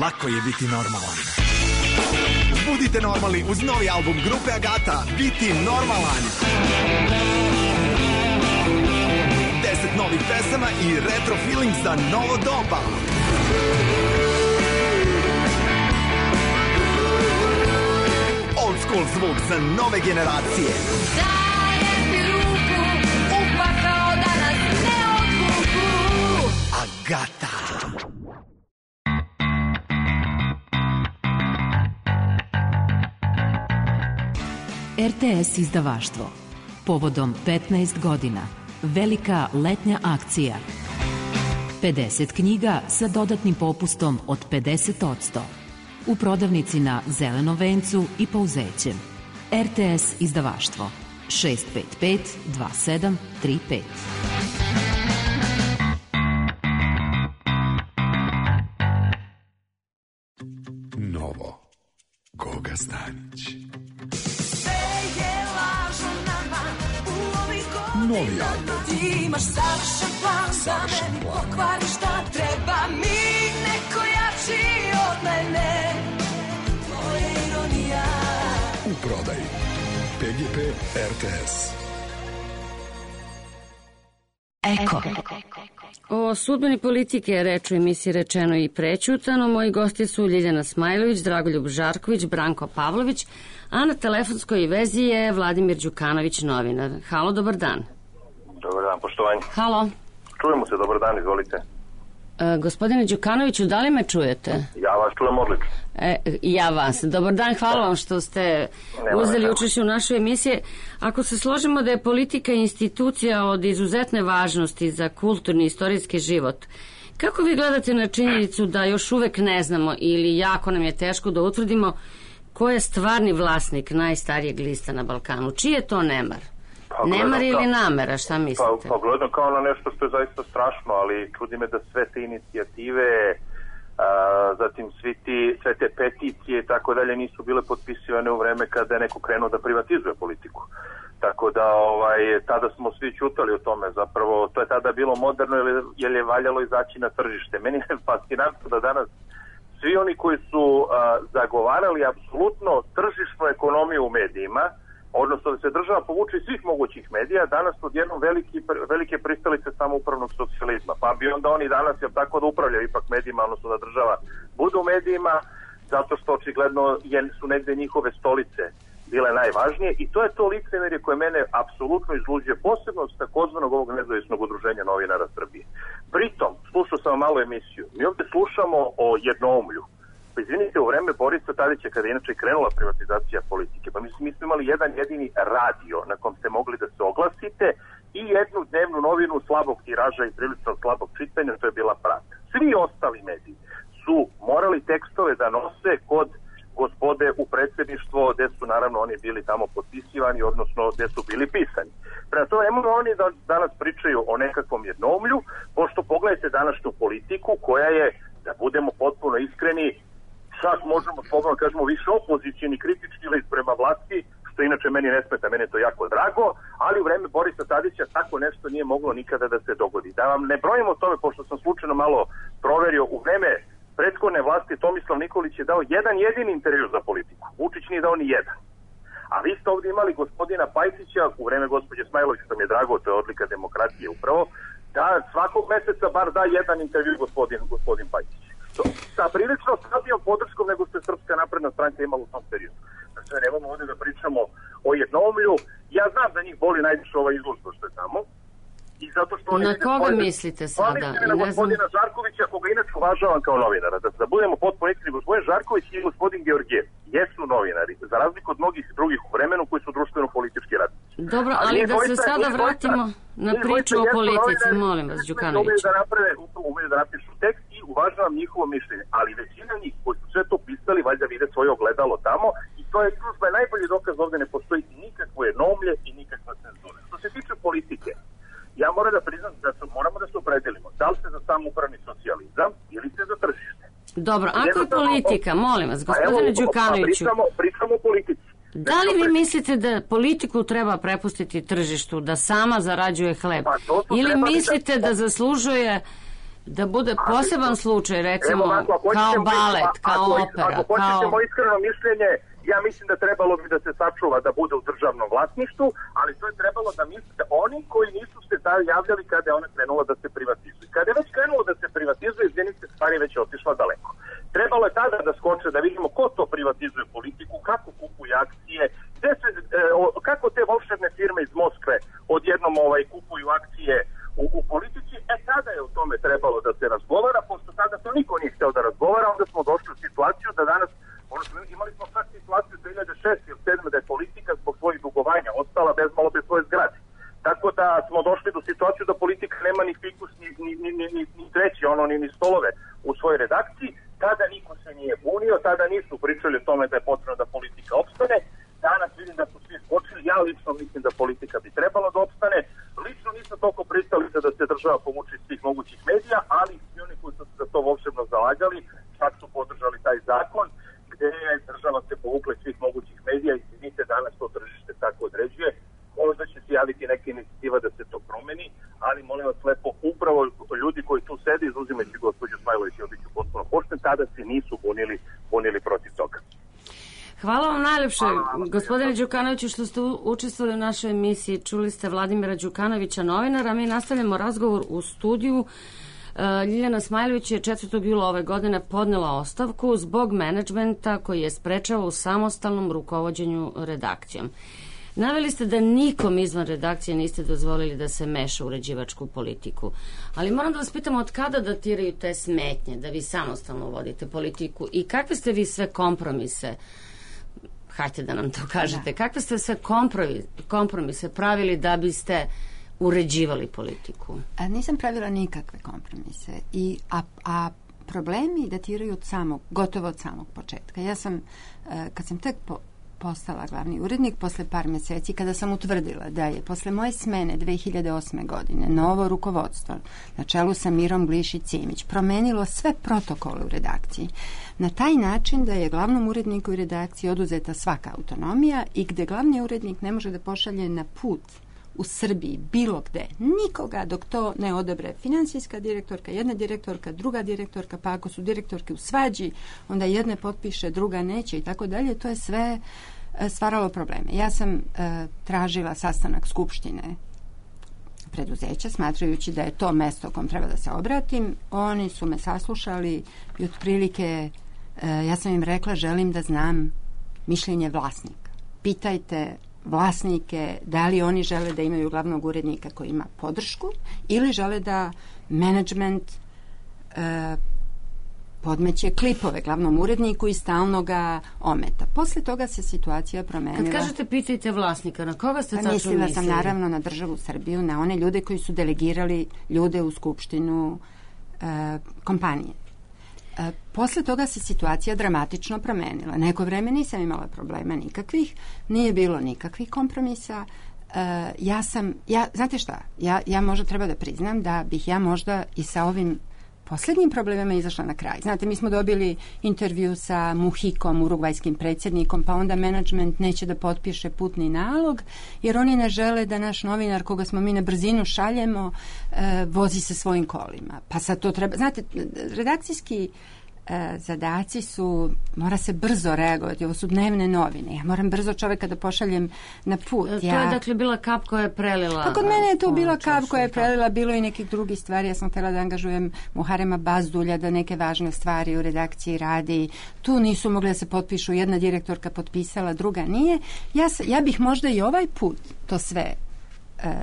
Speaker 11: Lako je biti normalan. Budite normalni uz novi album grupe Agata, Biti normalan. Deset novih pesama i retro feeling za novo doba. Old school zvuk za nove generacije.
Speaker 9: Dajem ti ruku, upakao da nas ne odvuku.
Speaker 11: Agata.
Speaker 12: er te es izdavaštvo. Povodom petnaest godina. Velika letnja akcija. pedeset knjiga sa dodatnim popustom od pedeset posto. U prodavnici na Zelenom vencu i Pouzećem. er te es izdavaštvo. šest pet pet dva sedam tri pet.
Speaker 13: Novo. Goga Stanić. Novi album.
Speaker 9: Ti imaš savršen plan,
Speaker 13: savršen
Speaker 9: da meni
Speaker 13: plan.
Speaker 9: pokvari šta treba mi, neko jači od mene. To je ironija.
Speaker 13: U prodaji. pe ge pe er te es.
Speaker 3: Eko.
Speaker 1: O sudbini politike je reč u emisiji Rečeno i prećutano. Moji gosti su Ljiljana Smajlović, Dragoljub Žarković, Branko Pavlović, a na telefonskoj vezi je Vladimir Đukanović, novinar. Halo, dobar dan.
Speaker 14: Dobar dan, poštovanje.
Speaker 1: Halo.
Speaker 14: Čujemo se, dobar dan, izvolite.
Speaker 1: E, gospodine Đukanoviću, da li me čujete?
Speaker 14: Ja vas čujem odlično.
Speaker 1: E, ja vas. Dobar dan, hvala vam što ste
Speaker 14: Nema
Speaker 1: uzeli
Speaker 14: nema.
Speaker 1: učešće u našoj emisiji. Ako se složimo da je politika institucija od izuzetne važnosti za kulturni i istorijski život, kako vi gledate na činjenicu da još uvek ne znamo ili jako nam je teško da utvrdimo ko je stvarni vlasnik najstarijeg lista na Balkanu? Čiji je to nemar?
Speaker 14: Pa,
Speaker 1: Nemar
Speaker 14: gledam
Speaker 1: ili
Speaker 14: kao-
Speaker 1: namera, šta mislite?
Speaker 14: Pa, pa gledam kao na nešto što je zaista strašno, ali čudi me da sve te inicijative, a, zatim svi ti, sve te peticije i tako dalje nisu bile potpisivane u vreme kada je neko krenuo da privatizuje politiku. Tako da ovaj, tada smo svi ćutali o tome, zapravo to je tada bilo moderno jer, jer je valjalo izaći na tržište. Meni je fascinantno da danas svi oni koji su a, zagovarali apsolutno tržišnu ekonomiju u medijima, odnosno da se država povuče iz svih mogućih medija, danas su odjednom veliki, velike pristalice samoupravnog socijalizma. Pa bi onda oni danas, jel tako, da upravljaju ipak medijima, odnosno da država bude u medijima, zato što očigledno je, su negde njihove stolice bile najvažnije i to je to licemerje koje mene apsolutno izluđuje, posebno s takozvanog ovog nezavisnog udruženja novinara Srbije. Pritom, slušao sam malo emisiju, mi ovde slušamo o jednoumlju. Pa izvinite, u vreme Borisa Tadića, kada je inače krenula privatizacija politike, pa mislim, mi smo imali jedan jedini radio na kom ste mogli da se oglasite i jednu dnevnu novinu slabog tiraža i prilično slabog čitanja, to je bila Pravda. Svi ostali mediji su morali tekstove da nose kod gospode u predsjedništvo nego gde su naravno oni bili tamo potpisivani, odnosno gde su bili pisani. Prema tome, nemoj oni da danas pričaju o nekakvom jednoumlju, pošto pogledajte današnju politiku koja je, da budemo potpuno iskreni, čak možemo slobodno kažemo više opozicijni kritički list prema vlasti, što inače meni ne smeta, meni je to jako drago, ali u vreme Borisa Tadića tako nešto nije moglo nikada da se dogodi. Da vam ne brojimo o tome, pošto sam slučajno malo proverio, u vreme prethodne vlasti Tomislav Nikolić je dao jedan jedini intervju za politiku. Vučić nije dao ni jedan. A vi ste ovdje imali gospodina Pajtića, u vreme gospođe Smajlović, što mi je drago, to je odlika demokratije upravo, da svakog meseca bar da jedan intervju gospodin, gospodin Pajtić. Sa prilično slabijom podrškom nego što je Srpska napredna stranka imala u tom periodu. Znači, nemamo ovdje da pričamo o jednoumlju. Ja znam da njih boli najviše ova izložba što je tamo. I zato što oni
Speaker 1: na koga svoje... mislite sada?
Speaker 14: Oni na gospodina znam... Žarkovića, koga inače uvažavam kao novinara. Da, da budemo potpuno iskreni, gospodin Žarković i gospodin Georgijev jesu novinari, za razliku od mnogih drugih u vremenu koji su društveno-politički radnici.
Speaker 1: Dobro, ali, ali da se sada vratimo na priču o politici, molim vas, Đukanović.
Speaker 14: Umeju da naprave, umeju da napišu tekst i uvažavam njihovo mišljenje, ali većina njih koji su sve to pisali, valjda vide svoje ogledalo tamo i to je izložba je najbolji dokaz, ovdje ne postoji nikakvo jednoumlje i nikakva cenzura. Što se tiče politike, ja moram da priznam da su, moramo da se opredelimo. Da li ste za samoupravni socijalizam ili ste za tržište?
Speaker 1: Dobro, ako je politika, molim vas, gospodine Đukanoviću,
Speaker 14: pričamo, pričamo o politici.
Speaker 1: Da li vi mislite da politiku treba prepustiti tržištu, da sama zarađuje hleb? Pa ili mislite da zaslužuje da bude poseban slučaj, recimo, kao balet, kao opera?
Speaker 14: Ako hoćemo iskreno mišljenje, ja mislim da trebalo bi da se sačuva da bude u državnom vlasništvu, ali to je trebalo da mislite oni koji nisu se da javljali kada je ona krenula da se privatizuje. Kada je već krenulo da se privatizuje, izvinite, stvari već otišla daleko. Trebalo je tada da skoče, da vidimo ko to privatizuje politiku, kako kupuje akcije, gde se, e, o, kako te volšebne firme iz Moskve odjednom ovaj, kupuju akcije u, u politici. E tada je o tome trebalo da se razgovara, pošto tada to niko nije hteo da razgovara, onda smo došli u situaciju da danas ono što imali smo sad situaciju dve hiljade šeste ili sedme da je politika zbog svojih dugovanja ostala bez malo bez svoje zgrade. Tako da smo došli do situaciju da politika nema ni fikus, ni, ni, ni, ni, ni, ni treći, ono, ni, ni stolove u svojoj redakciji. Tada niko se nije bunio, tada nisu pričali o tome da je potrebno da politika opstane. Danas vidim da su svi skočili, ja lično mislim da politika bi trebala da opstane. Lično nisam toliko pristalica da se država povuče iz svih mogućih medija, ali i oni koji su se za to volšebno zalagali, čak su podržali taj zakon, gde je država se povukla iz svih mogućih medija i vidite danas to tržište tako određuje. Možda će se javiti neka inicijativa da se to promeni, ali molim vas lepo, upravo ljudi koji tu sede, izuzimajući gospođu Smajlović i obiću potpuno pošten, tada se nisu bunili, bunili protiv toga.
Speaker 1: Hvala vam najlepše, gospodine Đukanoviću, što ste učestvovali u našoj emisiji. Čuli ste Vladimira Đukanovića, novinara. Mi nastavljamo razgovor u studiju. Ljiljana Smajlović je četvrtog jula ove godine podnela ostavku zbog menadžmenta koji je sprečavao u samostalnom rukovođenju redakcijom. Naveli ste da nikom izvan redakcije niste dozvolili da se meša u uređivačku politiku. Ali moram da vas pitam od kada datiraju te smetnje da vi samostalno vodite politiku i kakve ste vi sve kompromise, hajte da nam to kažete, kakve ste sve kompromise pravili da biste uređivali politiku?
Speaker 4: A nisam pravila nikakve kompromise. I, a, a problemi datiraju od samog, gotovo od samog početka. Ja sam, kad sam tek po, postala glavni urednik, posle par mjeseci, kada sam utvrdila da je posle moje smene dve hiljade osme godine novo rukovodstvo na čelu sa Mirom Glišić-Simić promenilo sve protokole u redakciji na taj način da je glavnom uredniku i redakciji oduzeta svaka autonomija i gde glavni urednik ne može da pošalje na put u Srbiji, bilo gde, nikoga dok to ne odobre finansijska direktorka, jedna direktorka, druga direktorka, pa ako su direktorke u svađi, onda jedna potpiše, druga neće i tako dalje, to je sve e, stvaralo probleme. Ja sam e, tražila sastanak skupštine preduzeća, smatrajući da je to mesto kom treba da se obratim. Oni su me saslušali i otprilike e, ja sam im rekla, želim da znam mišljenje vlasnika. Pitajte vlasnike da li oni žele da imaju glavnog urednika koji ima podršku ili žele da menadžment e, podmeće klipove glavnom uredniku i stalno ga ometa. Posle toga se situacija promenila.
Speaker 1: Kad kažete pitajte vlasnika, na koga ste tačno mislili?
Speaker 4: Mislila sam naravno na državu Srbiju, na one ljude koji su delegirali ljude u skupštinu e, kompanije. E, posle toga se situacija dramatično promenila. Neko vreme nisam imala problema nikakvih, nije bilo nikakvih kompromisa. E, ja sam, ja, znate šta, ja, ja možda treba da priznam da bih ja možda i sa ovim poslednjim problemima izašla na kraj. Znate, mi smo dobili intervju sa Muhikom, urugvajskim predsjednikom, pa onda menadžment neće da potpiše putni nalog, jer oni ne žele da naš novinar, koga smo mi na brzinu šaljemo, e, vozi se svojim kolima. Pa sad to treba... Znate, redakcijski e, zadaci su, mora se brzo reagovati, ovo su dnevne novine. Ja moram brzo čoveka da pošaljem na put.
Speaker 1: To
Speaker 4: ja...
Speaker 1: je dakle bila kap koja je prelila...
Speaker 4: Pa kod mene je to bila kap koja je prelila, bilo i nekih drugih stvari. Ja sam htjela da angažujem Muharema Bazdulja da neke važne stvari u redakciji radi. Tu nisu mogli da se potpišu, jedna direktorka potpisala, druga nije. Ja, ja bih možda i ovaj put to sve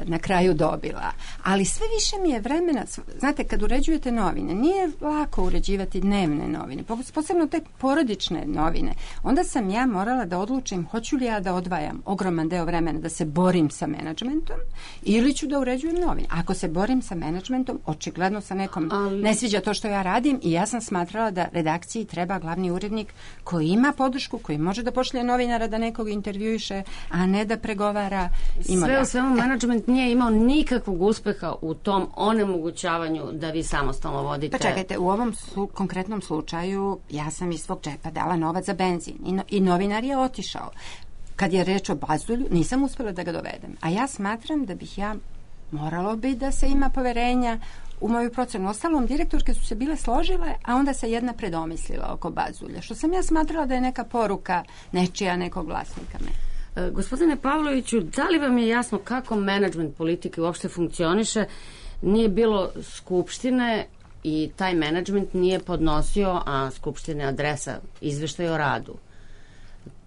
Speaker 4: na kraju dobila. Ali sve više mi je vremena, znate, kad uređujete novine, nije lako uređivati dnevne novine, posebno te porodične novine. Onda sam ja morala da odlučim hoću li ja da odvajam ogroman deo vremena da se borim sa menadžmentom ili ću da uređujem novine. Ako se borim sa menadžmentom, očigledno sa nekom Ali... ne sviđa to što ja radim i ja sam smatrala da redakciji treba glavni urednik koji ima podršku, koji može da pošlje novinara da nekog intervjuiše, a ne da pregovara.
Speaker 1: Sve u svemu menadžment nije imao nikakvog uspeha u tom onemogućavanju da vi samostalno vodite.
Speaker 4: Pa čekajte, u ovom slu, konkretnom slučaju ja sam iz svog džepa dala novac za benzin i, no, i novinar je otišao. Kad je reč o Bazdulju, nisam uspjela da ga dovedem. A ja smatram da bih ja moralo bi da se ima poverenja u moju procenu. Ostalom, direktorke su se bile složile, a onda se jedna predomislila oko Bazdulja, što sam ja smatrala da je neka poruka nečija, nekog vlasnika me.
Speaker 1: Gospodine Pavloviću, da li vam je jasno kako menadžment politike uopšte funkcioniše? Nije bilo skupštine i taj menadžment nije podnosio, a skupštine adresa izveštaj o radu.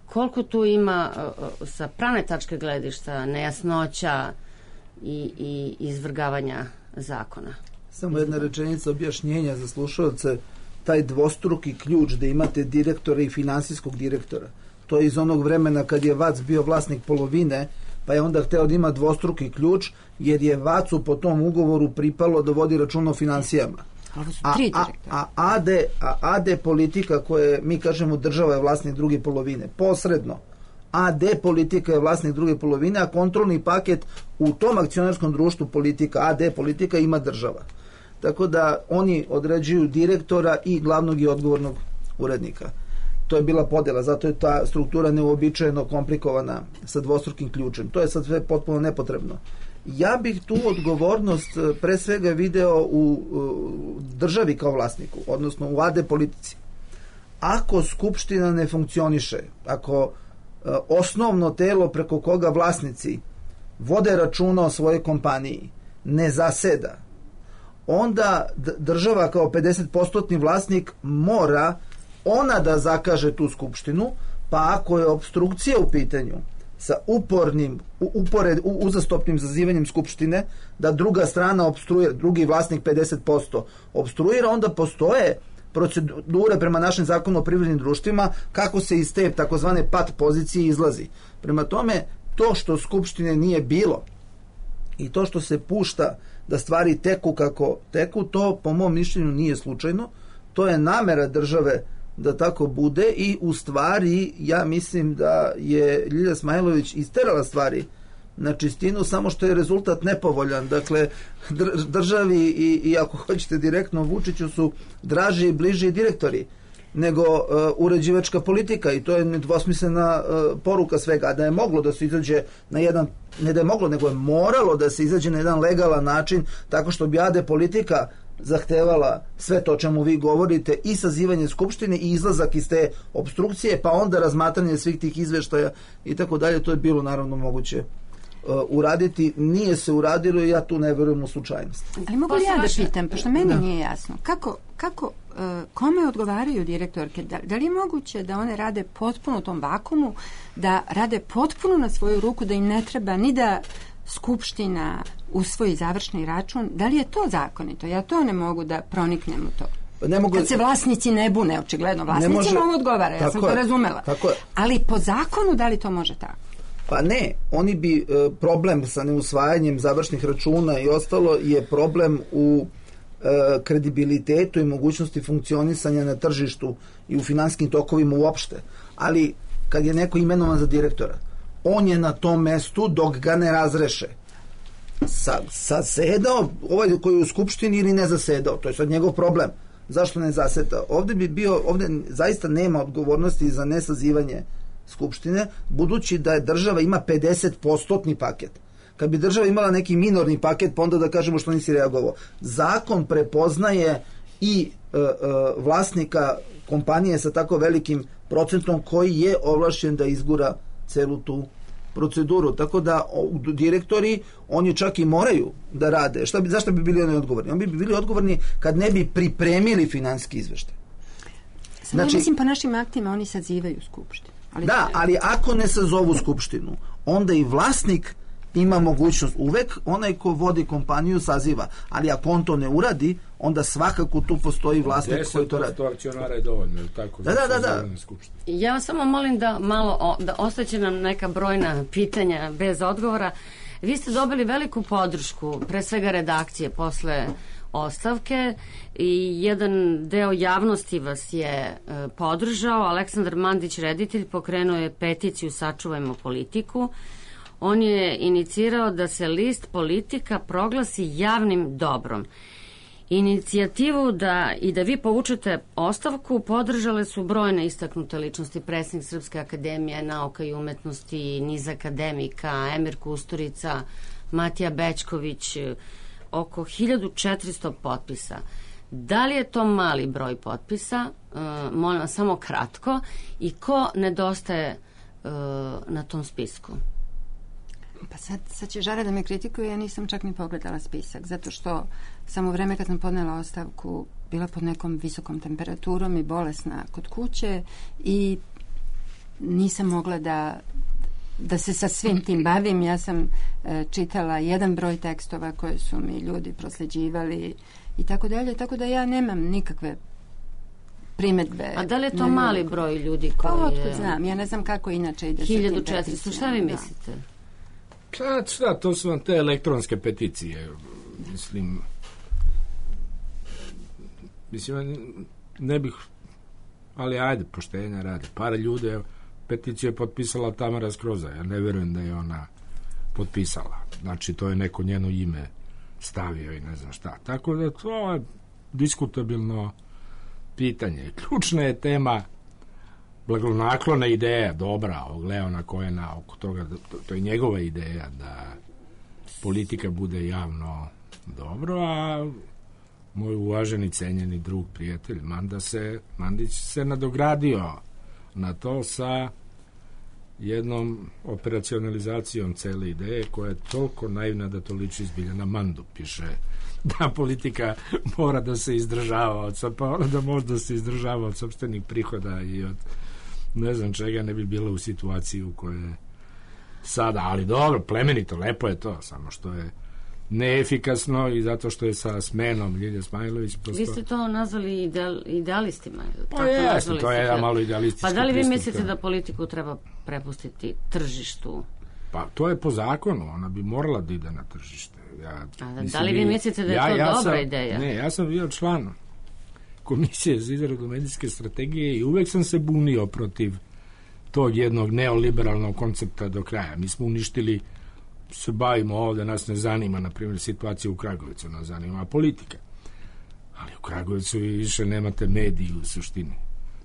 Speaker 1: Koliko tu ima sa pravne tačke gledišta nejasnoća i, i izvrgavanja zakona?
Speaker 6: Samo jedna rečenica objašnjenja za slušalce. Taj dvostruki ključ da imate direktora i finansijskog direktora, to je iz onog vremena kad je Vac bio vlasnik polovine, pa je onda hteo da ima dvostruki ključ, jer je Vacu po tom ugovoru pripalo da vodi račun o finansijama. A, a, a, AD, a AD politika koje mi kažemo država je vlasnik druge polovine, posredno. A D politika je vlasnik druge polovine, a kontrolni paket u tom akcionarskom društvu politika, A D politika ima država. Tako da oni određuju direktora i glavnog i odgovornog urednika. To je bila podjela, zato je ta struktura neuobičajeno komplikovana sa dvostrukim ključem. To je sad sve potpuno nepotrebno. Ja bih tu odgovornost pre svega video u, u državi kao vlasniku, odnosno u A D politici. Ako skupština ne funkcioniše, ako e, osnovno telo preko koga vlasnici vode računa o svojoj kompaniji ne zaseda, onda država kao pedeset posto vlasnik mora ona da zakaže tu skupštinu, pa ako je opstrukcija u pitanju sa upornim, upored, uzastopnim zazivanjem skupštine, da druga strana opstruira, drugi vlasnik pedeset posto opstruira, onda postoje procedure prema našem zakonu o privrednim društvima kako se iz te takozvane pat pozicije izlazi. Prema tome, to što skupštine nije bilo i to što se pušta da stvari teku kako teku, to po mom mišljenju nije slučajno. To je namera države da tako bude i u stvari ja mislim da je Ljilja Smajlović isterala stvari na čistinu, samo što je rezultat nepovoljan. Dakle, državi i, i ako hoćete direktno Vučiću su draži i bliži direktori nego uh, uređivačka politika i to je nedvosmislena uh, poruka svega. Da je moglo da se izađe na jedan, ne da je moglo, nego je moralo da se izađe na jedan legalan način tako što bi A D politika zahtevala sve to čemu vi govorite i sazivanje skupštine i izlazak iz te opstrukcije, pa onda razmatranje svih tih izveštaja i tako dalje. To je bilo naravno moguće uh, uraditi. Nije se uradilo i ja tu ne verujem u slučajnost.
Speaker 4: Ali mogu li ja da pitam, pošto meni da. nije jasno, kako, kako uh, kome odgovaraju direktorke? Da, da li je moguće da one rade potpuno u tom vakumu, da rade potpuno na svoju ruku, da im ne treba ni da skupština usvoji završni račun? Da li je to zakonito? Ja to ne mogu da proniknem u to. Ne mogu... Kad se vlasnici ne bune, očigledno vlasnici može... mogu odgovara, ja sam to razumela. Ali po zakonu da li to može tako?
Speaker 6: Pa ne, oni bi e, problem sa neusvajanjem završnih računa i ostalo je problem u kredibilitetu i mogućnosti funkcionisanja na tržištu i u finansijskim tokovima uopšte. Ali kad je neko imenovan za direktora, on je na tom mestu dok ga ne razreše. Sa, zasedao, ovaj koji je u skupštini ili ne zasedao, to je sad njegov problem. Zašto ne zaseda? Ovde bi bio, ovde zaista nema odgovornosti za nesazivanje skupštine, budući da je država ima pedeset posto paket. Kad bi država imala neki minorni paket, pa onda da kažemo što nisi reagovao. Zakon prepoznaje i e, e, vlasnika kompanije sa tako velikim procentom koji je ovlašćen da izgura celu tu proceduru. Tako da o, direktori, oni čak i moraju da rade. Šta bi, zašto bi bili oni odgovorni? Oni bi bili odgovorni kad ne bi pripremili finansijski izveštaj.
Speaker 4: Znači, mislim, po našim aktima oni sazivaju skupštinu. Ali
Speaker 6: da, ali ako ne sazovu skupštinu, onda i vlasnik ima mogućnost. Uvek onaj ko vodi kompaniju saziva, ali ako on to ne uradi, onda svakako tu postoji vlasnik koji to radi.
Speaker 5: deset posto akcionara je dovoljno, tako?
Speaker 6: Da, da, da, da.
Speaker 1: Ja vas samo molim da malo, da ostaće nam neka brojna pitanja bez odgovora. Vi ste dobili veliku podršku, pre svega redakcije, posle ostavke i jedan deo javnosti vas je e, podržao. Aleksandar Mandić, reditelj, pokrenuo je peticiju Sačuvajmo politiku. On je inicirao da se list Politika proglasi javnim dobrom. Inicijativu da i da vi povučete ostavku podržale su brojne istaknute ličnosti, predsjednik Srpske akademije nauka i umetnosti, niz akademika, Emir Kusturica, Matija Bećković, oko hiljadu četiristo potpisa. Da li je to mali broj potpisa? Uh, molim vas samo kratko. I ko nedostaje uh, na tom spisku?
Speaker 4: Pa sad, sad će Žara da me kritikuje, ja nisam čak ni pogledala spisak, zato što sam u vreme kad sam podnela ostavku bila pod nekom visokom temperaturom i bolesna kod kuće i nisam mogla da da se sa svim tim bavim. Ja sam e, čitala jedan broj tekstova koje su mi ljudi prosleđivali i tako dalje, tako da ja nemam nikakve primedbe.
Speaker 1: A da li je to mali broj ljudi koji
Speaker 4: pa,
Speaker 1: je...
Speaker 4: otkud znam, ja ne znam kako inače ide
Speaker 1: hiljadu četiristo, šta vi mislite?
Speaker 5: Pa, šta, to su vam te elektronske peticije. Mislim, mislim, ne bih, ali ajde, poštenja radi. Par ljudi, evo, peticiju je potpisala Tamara Skroza. Ja ne verujem da je ona potpisala. Znači, to je neko njeno ime stavio i ne znam šta. Tako da to je diskutabilno pitanje. Ključna je tema blagonaklona ideja, dobra, ovog Leona Cohena, oko toga, to, to je njegova ideja da politika bude javno dobro, a moj uvaženi, cenjeni drug, prijatelj Manda se, Mandić se nadogradio na to sa jednom operacionalizacijom cele ideje koja je toliko naivna da to liči zbilja na Mandu. Piše da politika mora da se izdržava od, pa ona da može da se izdržava od sopstvenih prihoda i od ne znam čega ne bi bila u situaciji u kojoj je sada, ali dobro, plemenito, lepo je to, samo što je neefikasno i zato što je sa smenom Ljilje Smajlović posto...
Speaker 1: Vi ste to nazvali ideal, idealistima.
Speaker 5: Pa jeste, to je jedan malo idealistički.
Speaker 1: Pa da li vi
Speaker 5: pristup,
Speaker 1: mislite
Speaker 5: to...
Speaker 1: da politiku treba prepustiti tržištu?
Speaker 5: Pa to je po zakonu, ona bi morala da ide na tržište. Ja,
Speaker 1: A, mislim, da li vi mislite da je ja, to ja dobra
Speaker 5: sam,
Speaker 1: ideja?
Speaker 5: Ne, ja sam bio član Komisije za izradu medijske strategije i uvek sam se bunio protiv tog jednog neoliberalnog koncepta do kraja. Mi smo uništili, se bavimo ovde, nas ne zanima, na primjer, situacija u Kragujevcu, nas zanima politika. Ali u Kragujevcu vi više nemate mediji u suštini.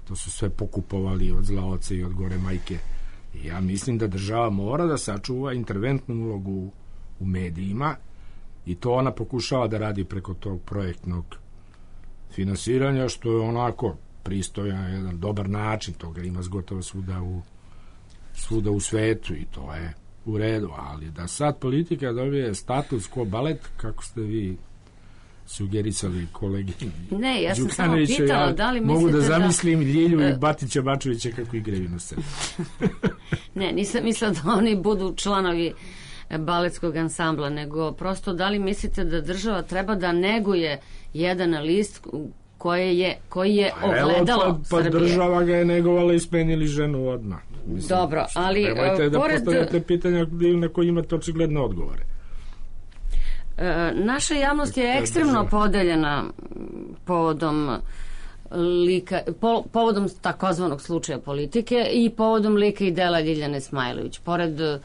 Speaker 5: To su sve pokupovali od zla oca i od gore majke. I ja mislim da država mora da sačuva interventnu ulogu u medijima i to ona pokušava da radi preko tog projektnog finansiranja, što je onako pristojan, jedan dobar način, toga ima gotovo svuda u svuda u svetu i to je u redu, ali da sad politika dobije status ko balet, kako ste vi sugerisali kolegi
Speaker 1: ne, ja sam samo pitala ja da li mislite
Speaker 5: mogu da zamislim
Speaker 1: da...
Speaker 5: Ljilju i Batića Bačevića kako igraju na sceni.
Speaker 1: Ne, nisam mislila da oni budu članovi baletskog ansambla, nego prosto da li mislite da država treba da neguje jedan list koji je, koji je ogledalo
Speaker 5: Evo, pa, pa
Speaker 1: Srbije.
Speaker 5: Država ga je negovala i smenili ženu odmah. Mislim,
Speaker 1: dobro, ali
Speaker 5: nemojte da
Speaker 1: pored...
Speaker 5: postavljate pitanja na koje imate očigledne odgovore.
Speaker 1: E, naša javnost je ekstremno podeljena povodom lika, po, povodom takozvanog slučaja politike i povodom lika i dela Ljiljane Smajlović. Pored e,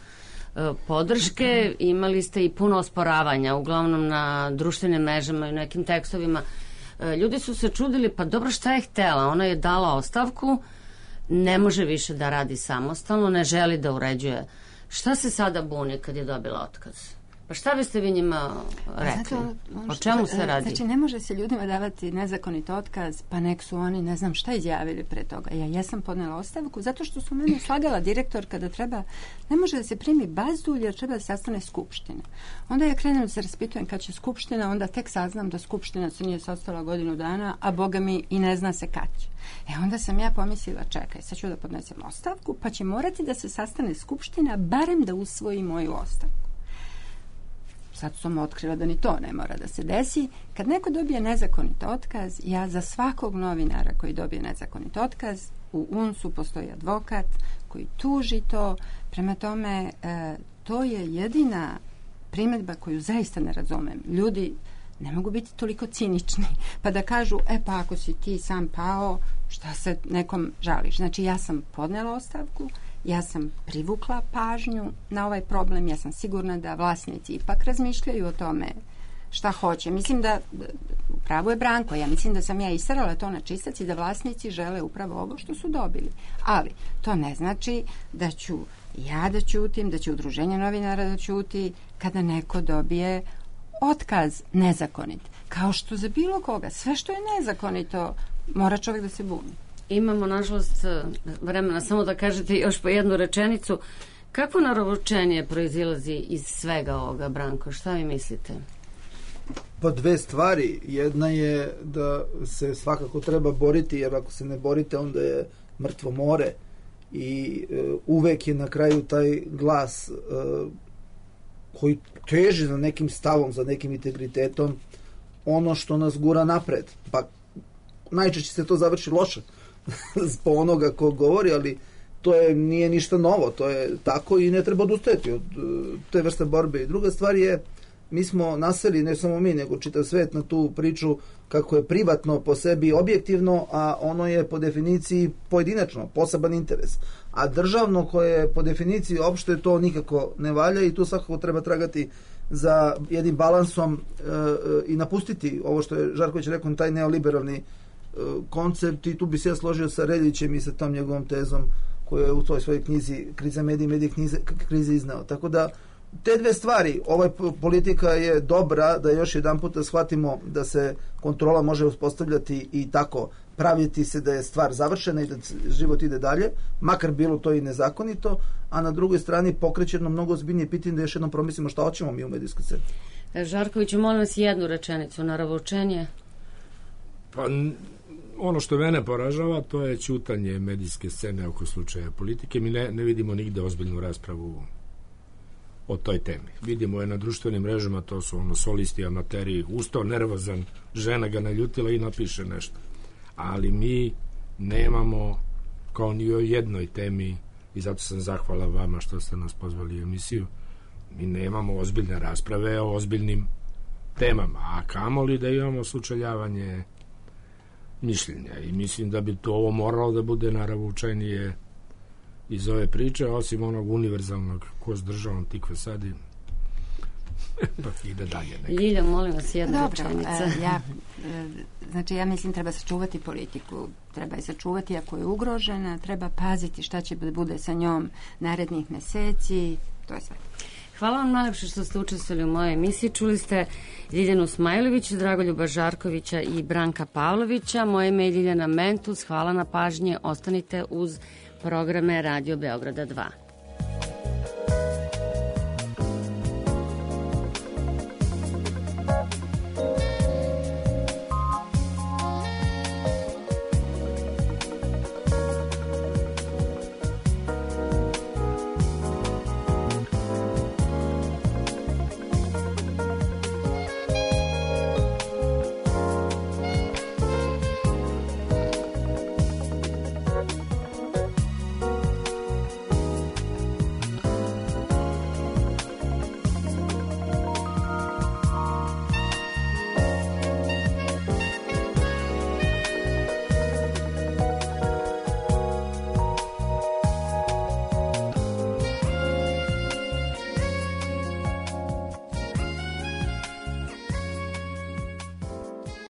Speaker 1: podrške imali ste i puno osporavanja, uglavnom na društvenim mrežama i nekim tekstovima. E, ljudi su se čudili, pa dobro, šta je htela? Ona je dala ostavku, ne može više da radi samostalno, ne želi da uređuje. Šta se sada buni kad je dobila otkaz? Pa šta biste vi njima rekli? Zato, o čemu se radi?
Speaker 4: Znači, ne može se ljudima davati nezakonit otkaz, pa nek su oni, ne znam šta izjavili pre toga. Ja jesam podnela ostavku, zato što su mene slagala direktor kada treba, ne može da se primi bazdulj jer treba da se sastane skupština. Onda ja krenem da se raspitujem kad će skupština, onda tek saznam da skupština se nije sastala godinu dana, a boga mi i ne zna se kad će. E onda sam ja pomislila, čekaj, sad ću da podnesem ostavku, pa će morati da se sastane skupština, barem da usvoji moju ostavku. Sad sam otkrila da ni to ne mora da se desi. Kad neko dobije nezakonit otkaz, ja za svakog novinara koji dobije nezakonit otkaz, u U N S-u postoji advokat koji tuži to. Prema tome, e, to je jedina primedba koju zaista ne razumem. Ljudi ne mogu biti toliko cinični, pa da kažu, e pa ako si ti sam pao, šta se nekom žališ? Znači, ja sam podnela ostavku, ja sam privukla pažnju na ovaj problem, ja sam sigurna da vlasnici ipak razmišljaju o tome šta hoće. Mislim da, upravo je Branko, ja mislim da sam ja istarala to na čistac i da vlasnici žele upravo ovo što su dobili. Ali to ne znači da ću ja da ćutim, da će udruženje novinara da ćuti kada neko dobije otkaz nezakonit. Kao što za bilo koga, sve što je nezakonito, mora čovjek da se buni.
Speaker 1: Imamo, nažalost, vremena samo da kažete još po jednu rečenicu. Kakvo naravoučenje proizilazi iz svega ovoga, Branko? Šta vi mislite?
Speaker 6: Pa dve stvari. Jedna je da se svakako treba boriti, jer ako se ne borite, onda je mrtvo more. I e, uvek je na kraju taj glas e, koji teži za nekim stavom, za nekim integritetom, ono što nas gura napred. Pa najčešće se to završi loše po onoga ko govori, ali to je, nije ništa novo, to je tako i ne treba odustajati od te vrste borbe. I druga stvar je, mi smo naseli, ne samo mi, nego čitav svet na tu priču kako je privatno po sebi objektivno, a ono je po definiciji pojedinačno, poseban interes. A državno koje je po definiciji opšte, to nikako ne valja i tu svakako treba tragati za jednim balansom e, i napustiti ovo što je Žarković rekao, taj neoliberalni koncept, i tu bi se ja složio sa Reljićem i sa tom njegovom tezom koju je u toj svojoj knjizi Kriza medije, medije knjize, krize izneo. Tako da te dve stvari, ova politika je dobra da još jedan puta shvatimo da se kontrola može uspostavljati i tako praviti se da je stvar završena i da život ide dalje, makar bilo to i nezakonito, a na drugoj strani pokreće jedno mnogo ozbiljnije pitanje da još jednom promislimo šta hoćemo mi u medijskoj sceni.
Speaker 1: Žarkoviću, molim vas jednu rečenicu, naravoučenje.
Speaker 5: Pa ono što mene poražava, to je ćutanje medijske scene oko slučaja politike. Mi ne, ne vidimo nigde ozbiljnu raspravu o toj temi. Vidimo je na društvenim mrežama, to su ono solisti, amateri, ustao nervozan, žena ga naljutila i napiše nešto. Ali mi nemamo, kao ni o jednoj temi, i zato sam zahvala vama što ste nas pozvali u emisiju, mi nemamo ozbiljne rasprave o ozbiljnim temama, a kamoli da imamo sučeljavanje mišljenja, i mislim da bi to ovo moralo da bude naravoučenije iz ove priče, osim onog univerzalnog ko s državom tikve sadi pa ide dalje nekako.
Speaker 1: Ljilja, molim vas, jedna
Speaker 4: Dobro,
Speaker 1: rečenica.
Speaker 4: E, ja, e, znači ja mislim treba sačuvati politiku, treba je sačuvati ako je ugrožena, treba paziti šta će da bude sa njom narednih meseci, to je sve.
Speaker 1: Hvala vam najlepše što ste učestvovali u mojoj emisiji. Čuli ste Ljiljanu Smajlović, Dragoljuba Žarkovića i Branka Pavlovića. Moje ime je Ljiljana Mentus. Hvala na pažnje. Ostanite uz programe Radio Beograda dva.